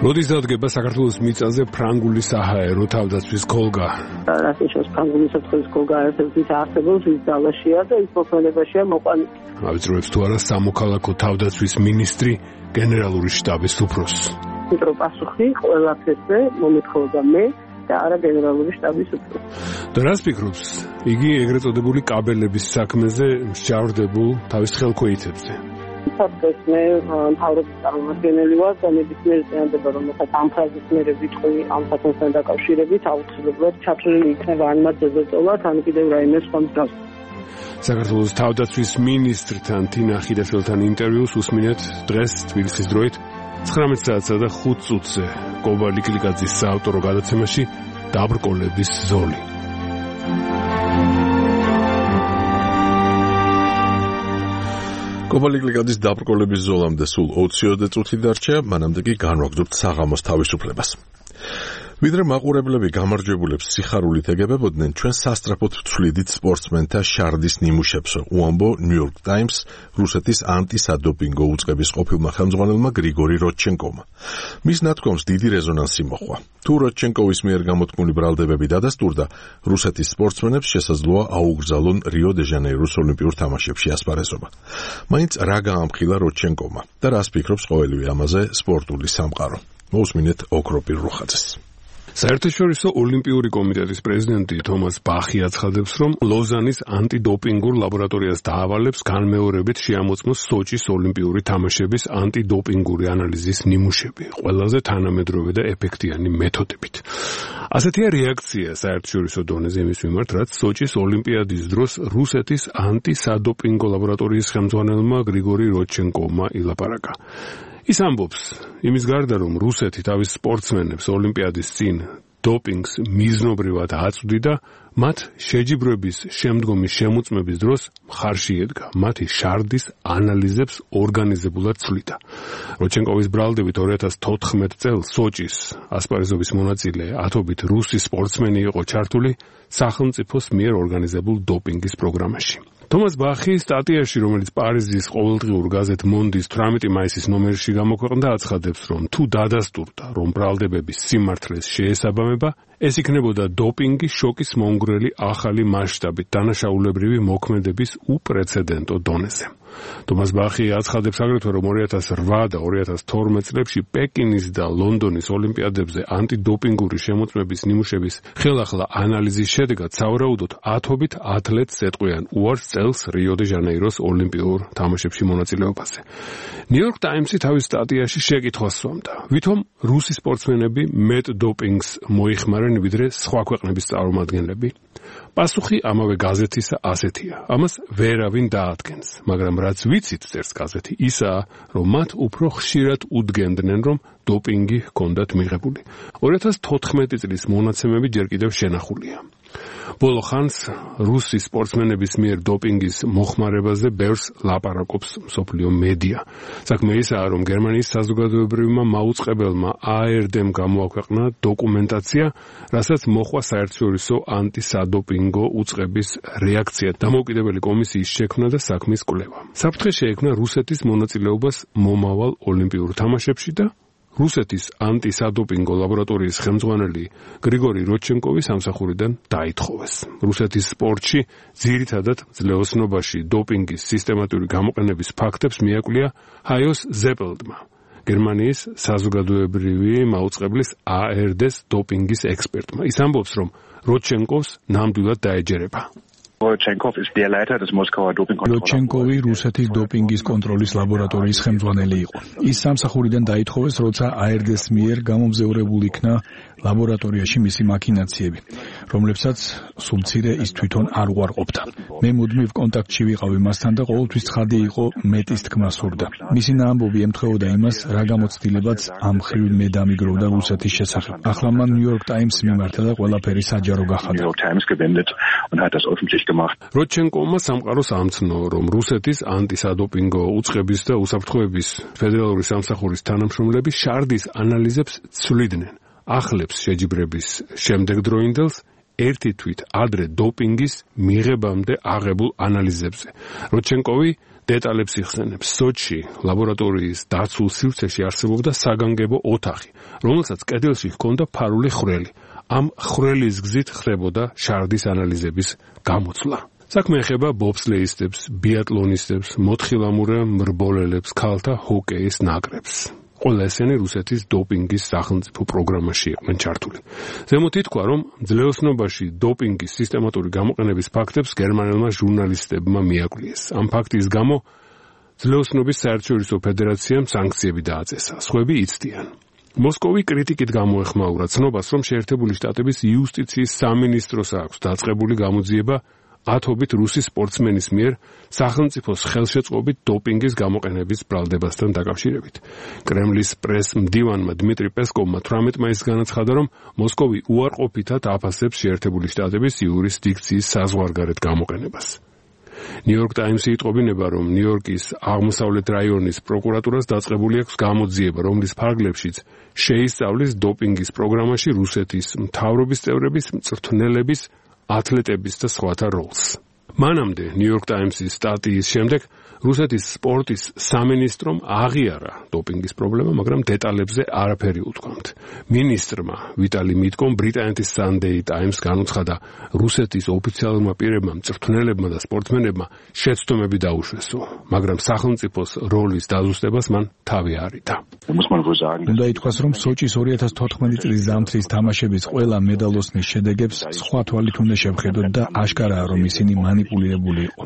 როდის დადგება საქართველოს მიწაზე ფრანგული საჰაერო თავდაცვის კოლგა? რასიშოს ფრანგული საფრთხის კოლგა ერთ-ერთი არსებობს ის ძალაშია და ის მოქმედებაშია მოყვანილი. ავიწროებს თუ არა სამოქალაქო თავდაცვის მინისტრი გენერალური შტაბის უფროსს. მეტრო პასუხი ყველაფერზე მომეთხოვდა მე და არა გენერალური შტაბის უფროსი. და რას ფიქრობს იგი ეგრეთ წოდებული კაბელების საქმეზე მსჯავრდებულ თავის ხელქვეითებზე? სადღაც მე მთავრობის წარმომადგენელი ვარ და ნებისმიერ წინადება, რომელსაც ამ ფრაზის მერე ვიტყვი ამ საკითხთან დაკავშირებით, აუცილებლად ჩათვლილი იქნება ან მათ ზეწოლად, ან კიდევ რაიმე სხვა მსგავს. საქართველოს თავდაცვის მინისტრთან თინა ხიდაშვილთან ინტერვიუს უსმინეთ დღეს თბილისის დროით ცხრამეტ საათსა და ხუთ წუთზე კობა ლიკლიკაძის საავტორო გადაცემაში დაბრკოლების ზოლი. კობალიკლიკადის დაბრკოლების ზოლამდე სულ ოცი წუთი დარჩა, მანამდე კი განვაგრძობთ საღამოს თავისუფლებას. ვიდრე მაყურებლები გამარჯვებულებს სიხარულით ეგებებოდნენ, ჩვენ სასტრაფოდ ვცვლიდით სპორტსმენთა შარდის ნიმუშებს, უამბო ნიუ-იორკ ტაიმს რუსეთის ანტისადოპინგო უწყების ყოფილმა ხელმძღვანელმა გრიგორი როდჩენკოვმა. მის ნათქვამს დიდი რეზონანსი მოჰყვა. თუ როდჩენკოვის მიერ გამოთქმული ბრალდებები დადასტურდა, რუსეთის სპორტსმენებს შესაძლოა აუგრძალონ რიო-დე-ჟანეიროს ოლიმპიურ თამაშებში ასპარეზობა. მაინც რა გაამხილა როდჩენკოვმა და რას ფიქრობს ყოველივე ამაზე სპორტული სამყარო. მოусმინეთ ოქროპირ რუხაძეს. საერთაშორისო ოლიმპიური კომიტეტის პრეზიდენტი თომას ბახი აცხადებს, რომ ლოზანის ანტიდოპინგურ ლაბორატორიას დაავალებს განმეორებით შეამოწმოს სოჭის ოლიმპიური თამაშების ანტიდოპინგური ანალიზის ნიმუშები, ყველაზე თანამედროვე და ეფექტიანი მეთოდებით. ასეთია რეაქცია საერთაშორისო დონეზე იმის მიმართ, რაც სოჭის ოლიმპიადის დროს რუსეთის ანტისადოპინგო ლაბორატორიის ხელმძღვანელმა გრიგორი როდჩენკოვმა ილაპარაკა. ის ამბობს, იმის გარდა რომ რუსეთი თავის სპორტსმენებს ოლიმპიადის წინ დოპინგს მიზნობრივად აწვდიდა, მათ შეჯიბრების შემდგომი შემოწმების დროს მხარში ედგა. მათი შარდის ანალიზებს ორგანიზებულად ცვლიდა. როჩენკოვის ბრალდებით ორი ათას თოთხმეტ წელს სოჭის ასპარეზობის მონაწილე ათობით რუსი სპორტსმენი იყო ჩართული სახელმწიფოს მიერ ორგანიზებულ დოპინგის პროგრამაში. თომას ბახი სტატიაში, რომელიც პარიზის ყოველდღიურ გაზეთ მონდის თვრამეტი მაისის ნომერში გამოქვეყნდა, აცხადებს, რომ თუ დადასტურდა, რომ ბრალდებების სიმართლეს შეესაბამება, ეს იქნებოდა დოპინგი შოკის მომგვრელი ახალი მასშტაბით დანაშაულებრივი მოქმედების უპრეცედენტო დონეზე. თომას ბახი აცხადებს აგრეთვე, რომ ორი ათას რვა და ორი ათას თორმეტ წლებში პეკინის და ლონდონის ოლიმპიადებზე ანტიდოპინგური შემოწმების ნიმუშების ხელახლა ანალიზის შედეგად სავარაუდოდ ათობით ათლეტს ეტყვიან უარს წელს რიო-დე-ჟანეიროს ოლიმპიურ თამაშებში მონაწილეობაზე. ნიუ-იორკ ტაიმსი თავის სტატიაში შეკითხვას სვამდა, ვითომ რუსი სპორტსმენები მეტ დოპინგს მოიხმარენ ვიდრე სხვა ქვეყნების წარმომადგენლები? პასუხი ამავე გაზეთისა ასეთია. ამას ვერავინ დაადგენს, მაგრამ რაც ვიცით, წერს გაზეთი, ისაა, რომ მათ უფრო ხშირად უდგენდნენ, რომ დოპინგი ჰქონდათ მიღებული. ორი ათას თოთხმეტი წლის მონაცემები ჯერ კიდევ შენახულია. ბოლო ხანს რუსი სპორტსმენების მიერ დოპინგის მოხმარებაზე ბევრს ლაპარაკობს მსოფლიო მედია. საქმე ისაა, რომ გერმანიის საზოგადოებრივმა მაუწყებელმა A R D-მ გამოაქვეყნა დოკუმენტაცია, რასაც მოხვა საერთაშორისო ანტისადოპინგო უწყების რეაქცია დამოუკიდებელი კომისიის შექმნა და საქმის კვლევა. საფრთხე შეექმნა რუსეთის მონაწილეობას მომავალ ოლიმპიურ თამაშებში და რუსეთის ანტისადოპინგო ლაბორატორიის ხელმძღვანელი გრიგორი როჩენკოვი სამსახურიდან დაითხოვეს. რუსეთის სპორტში ძირითადად ძლეოსნობაში დოპინგის სისტემატური გამოყენების ფაქტებს მიაკვლია ჰაიოს ზეპელდმა, გერმანიის საზოგადოებრივი მაუწყებლის A R D-ს დოპინგის ექსპერტმა. ის ამბობს, რომ როჩენკოვს ნამდვილად დაეჯერება. როჩენკოვი რუსეთის დოპინგის კონტროლის ლაბორატორიის ხელმძღვანელი იყო. ის სამსახურიდან დაითხოვეს, როცა A R D-ს მიერ გამომზეურებული იქნა ლაბორატორიაში მისი მაქინაციები, რომლებსაც სულ მცირე ის თვითონ არ უარყოფდა. მე მუდმივ კონტაქტში ვიყავი მასთან და ყოველთვის ცხადი იყო მეტის თქმა სურდა. მისი ნაამბობი ემთხვეოდა იმას, რა გამოცდილებაც ამ მხრივ მე დამიგროვდა რუსეთის შესახებ. ახლა მან ნიუ-იორკ ტაიმს მიმართა და ყველაფერი საჯარო გახადა. როჩენკოვმა სამყაროს ამცნო, რომ რუსეთის ანტისადოპინგო უწყების და უსაფრთხოების ფედერალური სამსახურის თანამშრომლები შარდის ანალიზებს ცვლიდნენ. ახლებს შეჯიბრების შემდეგდროინდელს ერთი თვით ადრე დოპინგის მიღებამდე აღებულ ანალიზებზე. როჩენკოვი დეტალებს იხსენებს. სოჩში ლაბორატორიის დაცულ სივრცეში არსებობდა საგანგებო ოთახი, რომელსაც კედელში ჰქონდა ფარული ხვრელი. ამ ხვრელის გზით ხდებოდა შარდის ანალიზების გამოცვლა. საქმე ეხება ბობსლეისტებს, ბიატლონისტებს, მოთხილამურე მრბოლელებს, ქალთა ჰოკეის ნაკრებს. ყველა ესენი რუსეთის დოპინგის სახელმწიფო პროგრამაში იყვნენ ჩართული. ზემოთ ითქვა, რომ ძლეოსნობაში დოპინგის სისტემატური გამოყენების ფაქტებს გერმანელმა ჟურნალისტებმა მიაკვლიეს. ამ ფაქტის გამო ძლეოსნობის საერთაშორისო ფედერაციამ სანქციები დააწესა. სხვები იცდიან. მოსკოვი კრიტიკით გამოეხმაურა ცნობას, რომ შეერთებული შტატების იუსტიციის სამინისტროს აქვს დაწყებული გამოძიება ათობით რუსი სპორტსმენის მიერ სახელმწიფოს ხელშეწყობით დოპინგის გამოყენების ბრალდებასთან დაკავშირებით. კრემლის პრეს-მდივანმა დმიტრი პესკოვმა თვრამეტ მაისს განაცხადა, რომ მოსკოვი უარყოფითად აფასებს შეერთებული შტატების იურისდიქციის საზღვარგარეთ გამოყენებას. ნიუ-იორკ ტაიმსი იტყობინება, რომ ნიუ-იორკის აღმოსავლეთ რაიონის პროკურატურას დაწყებული აქვს გამოძიება, რომლის ფარგლებშიც შეისწავლის დოპინგის პროგრამაში რუსეთის მთავრობის წევრების, მწვრთნელების, ათლეტების და სხვათა როლს. მანამდე ნიუ-იორკ ტაიმსის სტატიის შემდეგ რუსეთის სპორტის სამინისტრომ აღიარა დოპინგის პრობლემა, მაგრამ დეტალებზე არაფერი უთქვამთ. მინისტრმა ვიტალი მიტკომ ბრიტანეთის Sunday Times განუცხადა, რუსეთის ოფიციალურმა პირებმა, მწვრთნელებმა და სპორტსმენებმა შეცდომები დაუშვესო, მაგრამ სახელმწიფოს როლის დაზუსტებას მან თავი არიდა. უნდა ითქვას, რომ სოჭის ორი ათას თოთხმეტი წლის ზამთრის თამაშების ყველა მედალოსნის შედეგებს სხვა თვალით უნდა შევხედოთ და აშკარაა, რომ ისინი მანიპულირებული იყო.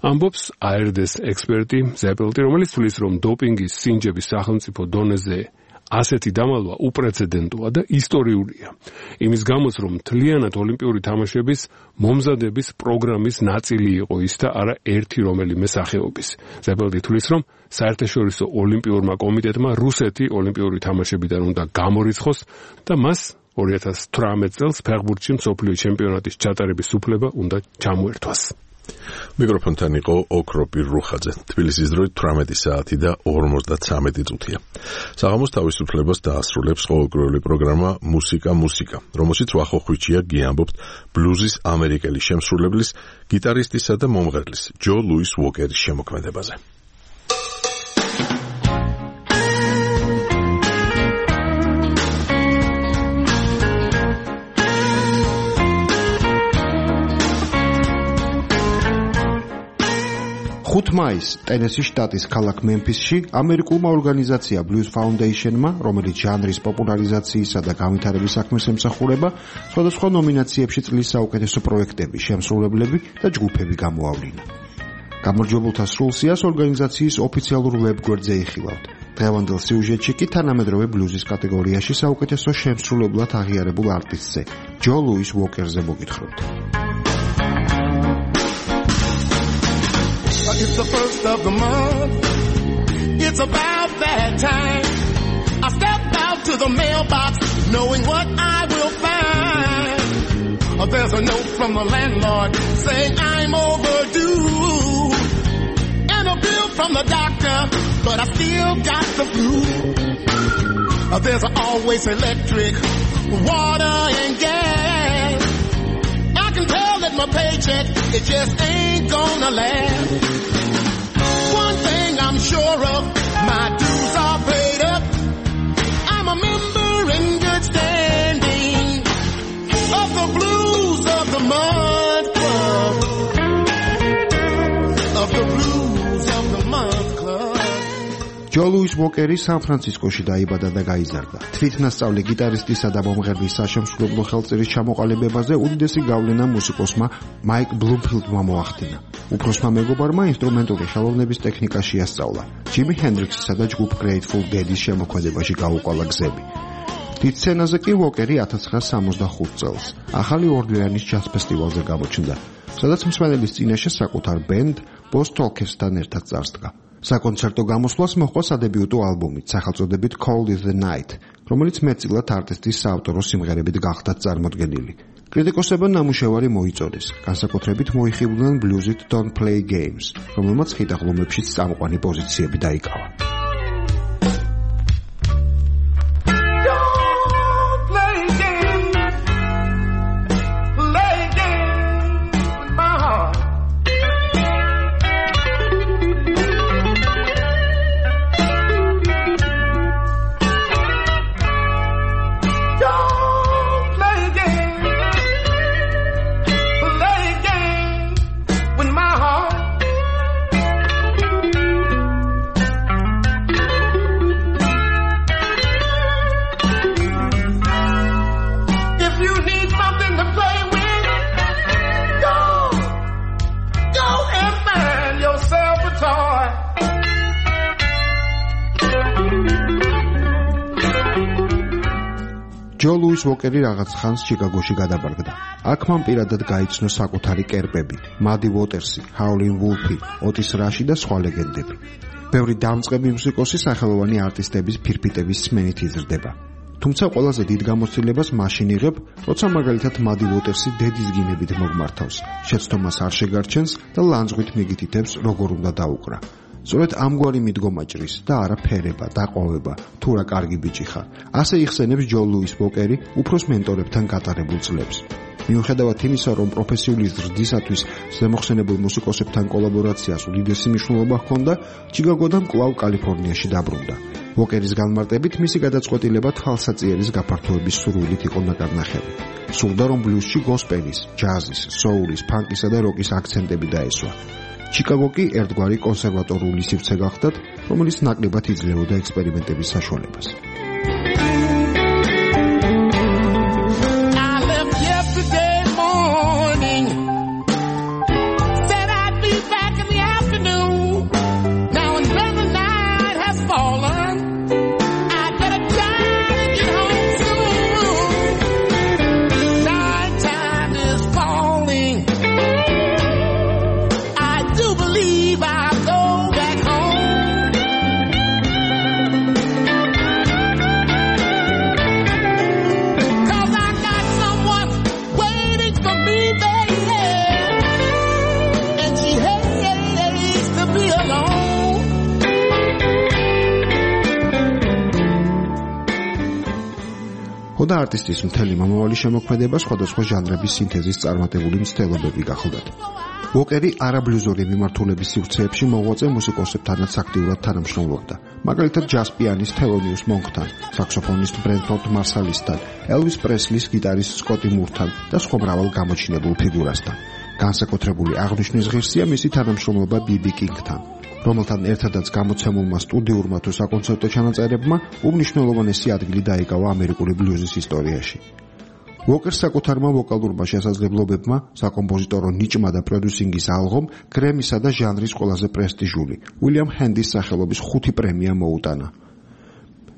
ამბობს A R D-ს ექსპერტი ზეპელტი, რომელიც თვლის, რომ დოპინგის სინჯების სახელმწიფო დონეზე ასეთი დამალვა უპრეცედენტოა და ისტორიულია. იმის გამოც, რომ მთლიანად ოლიმპიური თამაშების მომზადების პროგრამის ნაწილი იყო ის და არა ერთი რომელიმე სახეობის. ზეპელტი თვლის, რომ საერთაშორისო ოლიმპიურმა კომიტეტმა რუსეთი ოლიმპიური თამაშებიდან უნდა გამორიცხოს და მას ორი ათას თვრამეტ წელს ფეხბურთში მსოფლიო ჩემპიონატის ჩატარების უფლება უნდა ჩამოერთვას. მიკროფონთან იყო ოქროპირ რუხაძე. თბილისის დროით თვრამეტი საათი და ორმოცდათვრამეტი წუთია. საღამოს თავისუფლებას დაასრულებს ყოველკვირეული პროგრამა მუსიკა მუსიკა, რომელშიც ვახოხვიჩია გიამბობთ ბლუზის ამერიკელი შემსრულებლის, გიტარისტისა და მომღერლის ჯო ლუის უოკერის შემოქმედებაზე. ხუთი მაისს ტენესის შტატის ქალაქ მემფისში ამერიკულმა ორგანიზაცია Blues Foundation-მა, რომელიც ჟანრის პოპულარიზაციისა და განვითარების საქმეს ემსახურება, სხვადასხვა ნომინაციებში წლის საუკეთესო პროექტები, შემსრულებლები და ჯგუფები გამოავლინა. გამარჯვებულთა სრულსიას ორგანიზაციის ოფიციალურ ვებგვერდზე იხილავთ. დღევანდელ სიუჟეტში კი თანამედროვე ბლუზის კატეგორიაში საუკეთესო შემსრულებლად აღიარებულ არტისტზე, ჯო ლუის უოკერზე მოგითხრობთ. It's the first of the month. It's about that time. I stepped out to the mailbox knowing what I will find. Oh, there's a note from the landlord saying I'm overdue. And a bill from the doctor, but I still got the flu. Oh, there's always electric, water and gas. I can tell that my paycheck, it just ain't gonna last. One thing I'm sure of, my dues are paid up. I'm a member in good standing of the Blues of the Month Club. Of the Blues of the Month Club. ჯო ლუის უოკერი სან-ფრანცისკოში დაიბადა და გაიზარდა. თვითნასწავლი გიტარისტისა და მომღერლის საშემსრულებლო ხელწერის ჩამოყალიბებაზე უდიდესი გავლენა მუსიკოსმა მაიკ ბლუმფილდმა მოახდინა. უფროსმა მეგობარმა ინსტრუმენტული ხელოვნების ტექნიკა შეასწავლა. ჯიმი ჰენდრიქსისა და ჯგუფ Grateful Dead-ის შემოქმედებაში გაუყვალა გზები. დიდ სცენაზე კი უოკერი ათას ცხრაასი სამოცდახუთ წელს ახალი ორლეანის ჯაზ ფესტივალზე გამოჩნდა, სადაც მსმენელის წინაშე საკუთარ ბენდ Boss Talkers-თან ერთად წარსდგა. საკონცერტო გამოსვლას მოჰყვა სადებიუტო ალბომით სახელწოდებით Cold is the Night, რომელიც მეტწილად არტისტის საავტორო სიმღერებით გახდა წარმოდგენილი. კრიტიკოსებმა ნამუშევარი მოიწონეს, განსაკუთრებით მოიხიბლნენ ბლუზით Don't Play Games, რომელმაც ხიდაღლუმებშიც წამყვანი პოზიციები დაიკავა. ჯო ლუის უოკერი რაღაც ხანს ჩიკაგოში გადაბარგდა. აქ მან პირადად გაიცნო საკუთარი კერპები, მადი უოტერსი, ჰაულინ ვულფი, ოტის რაში და სხვა ლეგენდები. ბევრი დამწყები მუსიკოსი სახელოვანი არტისტების ფირფიტების სმენით იზრდება. თუმცა ყველაზე დიდ გამოცდილებას მაშინ იღებ, როცა მაგალითად მადი უოტერსი დედის გინებით მოგმართავს, შეცდომას არ შეგარჩენს და ლანძღვით მიგითითებს, როგორ უნდა დაუკრა. სწორედ ამგვარი მიდგომა ჭრის და არა ფერება, დაყოვება, თუ რა კარგი ბიჭი ხარ. ასე იხსენებს ჯო ლუის უოკერი უფროს მენტორებთან გატარებულ წლებს. მიუხედავად იმისა, რომ პროფესიული ზრდისათვის ზემოხსენებულ მუსიკოსებთან კოლაბორაციას უდიდესი მნიშვნელობა ჰქონდა, ჩიკაგოდან კვლავ კალიფორნიაში დაბრუნდა. უოკერის განმარტებით მისი გადაწყვეტილება თვალსაწიერის გაფართოების სურვილით იყო ნაკარნახევი. სურდა, რომ ბლუზში გოსპელის, ჯაზის, სოულის, ფანკისა და როკის აქცენტები დაესვა. ჩიკაგო კი ერთგვარი კონსერვატორული სივრცე გახდათ, რომელიც ნაკლებად იძლეოდა ექსპერიმენტების საშუალებას. ცოტა არტისტის მთელი მომავალი შემოქმედება სხვადასხვა ჟანრების სინთეზის წარმატებული მცდელობები გახლდათ. უოკერი არაბლუზური მიმართულების სივრცეებში მოღვაწე მუსიკოსებთანაც აქტიურად თანამშრომლობდა. მაგალითად ჯაზ პიანის თელონიუს მონკთან, საქსოფონისტ ბრენფორდ მარსალისთან, ელვის პრესლის გიტარისტ სკოტი მურთან და სხვა მრავალ გამოჩინებულ ფიგურასთან. განსაკუთრებული აღნიშვნის ღირსია მისი თანამშრომლობა ბი-ბი კინგთან, რომელთან ერთადაც გამოცემულმა სტუდიურმა თუ საკონცერტო ჩანაწერებმა უმნიშვნელოვანესი ადგილი დაიკავა ამერიკული ბლუზის ისტორიაში. უოკერს საკუთარმა ვოკალურმა შესაძლებლობებმა, საკომპოზიტორო ნიჭმა და პროდიუსინგის ალღომ გრემისა და ჟანრის ყველაზე პრესტიჟული უილიამ ჰენდის სახელობის ხუთი პრემია მოუტანა.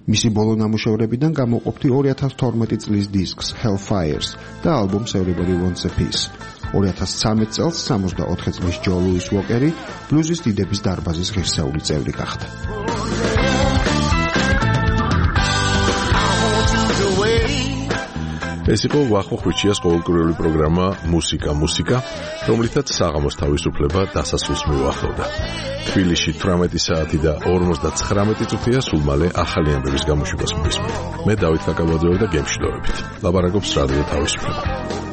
მისი ბოლო ნამუშევრებიდან გამოყოფთი ორი ათას თორმეტი წლის დისკს Hellfires და ალბომს Everybody Wants a Piece. ორი ათას ცხრამეტ წელს სამოცდაოთხი წლის ჯო ლუის უოკერი ბლუზის დიდების დარბაზის ღირსეული წევრი გახდა. ეს იყო ვახო ხვიჩიას ყოველკვირეული პროგრამა მუსიკა მუსიკა, რომლითაც საღამოს თავისუფლება დასასრულს მიუახლოვდა. თბილისში თვრამეტი საათი და ორმოცდაცხრამეტი წუთია, სულ მალე ახალი ამბების გამოშვებას მისმენთ. მე დავით კაკაბაძე და გემშვიდობებით. ლაპარაკობს რადიო თავისუფლება.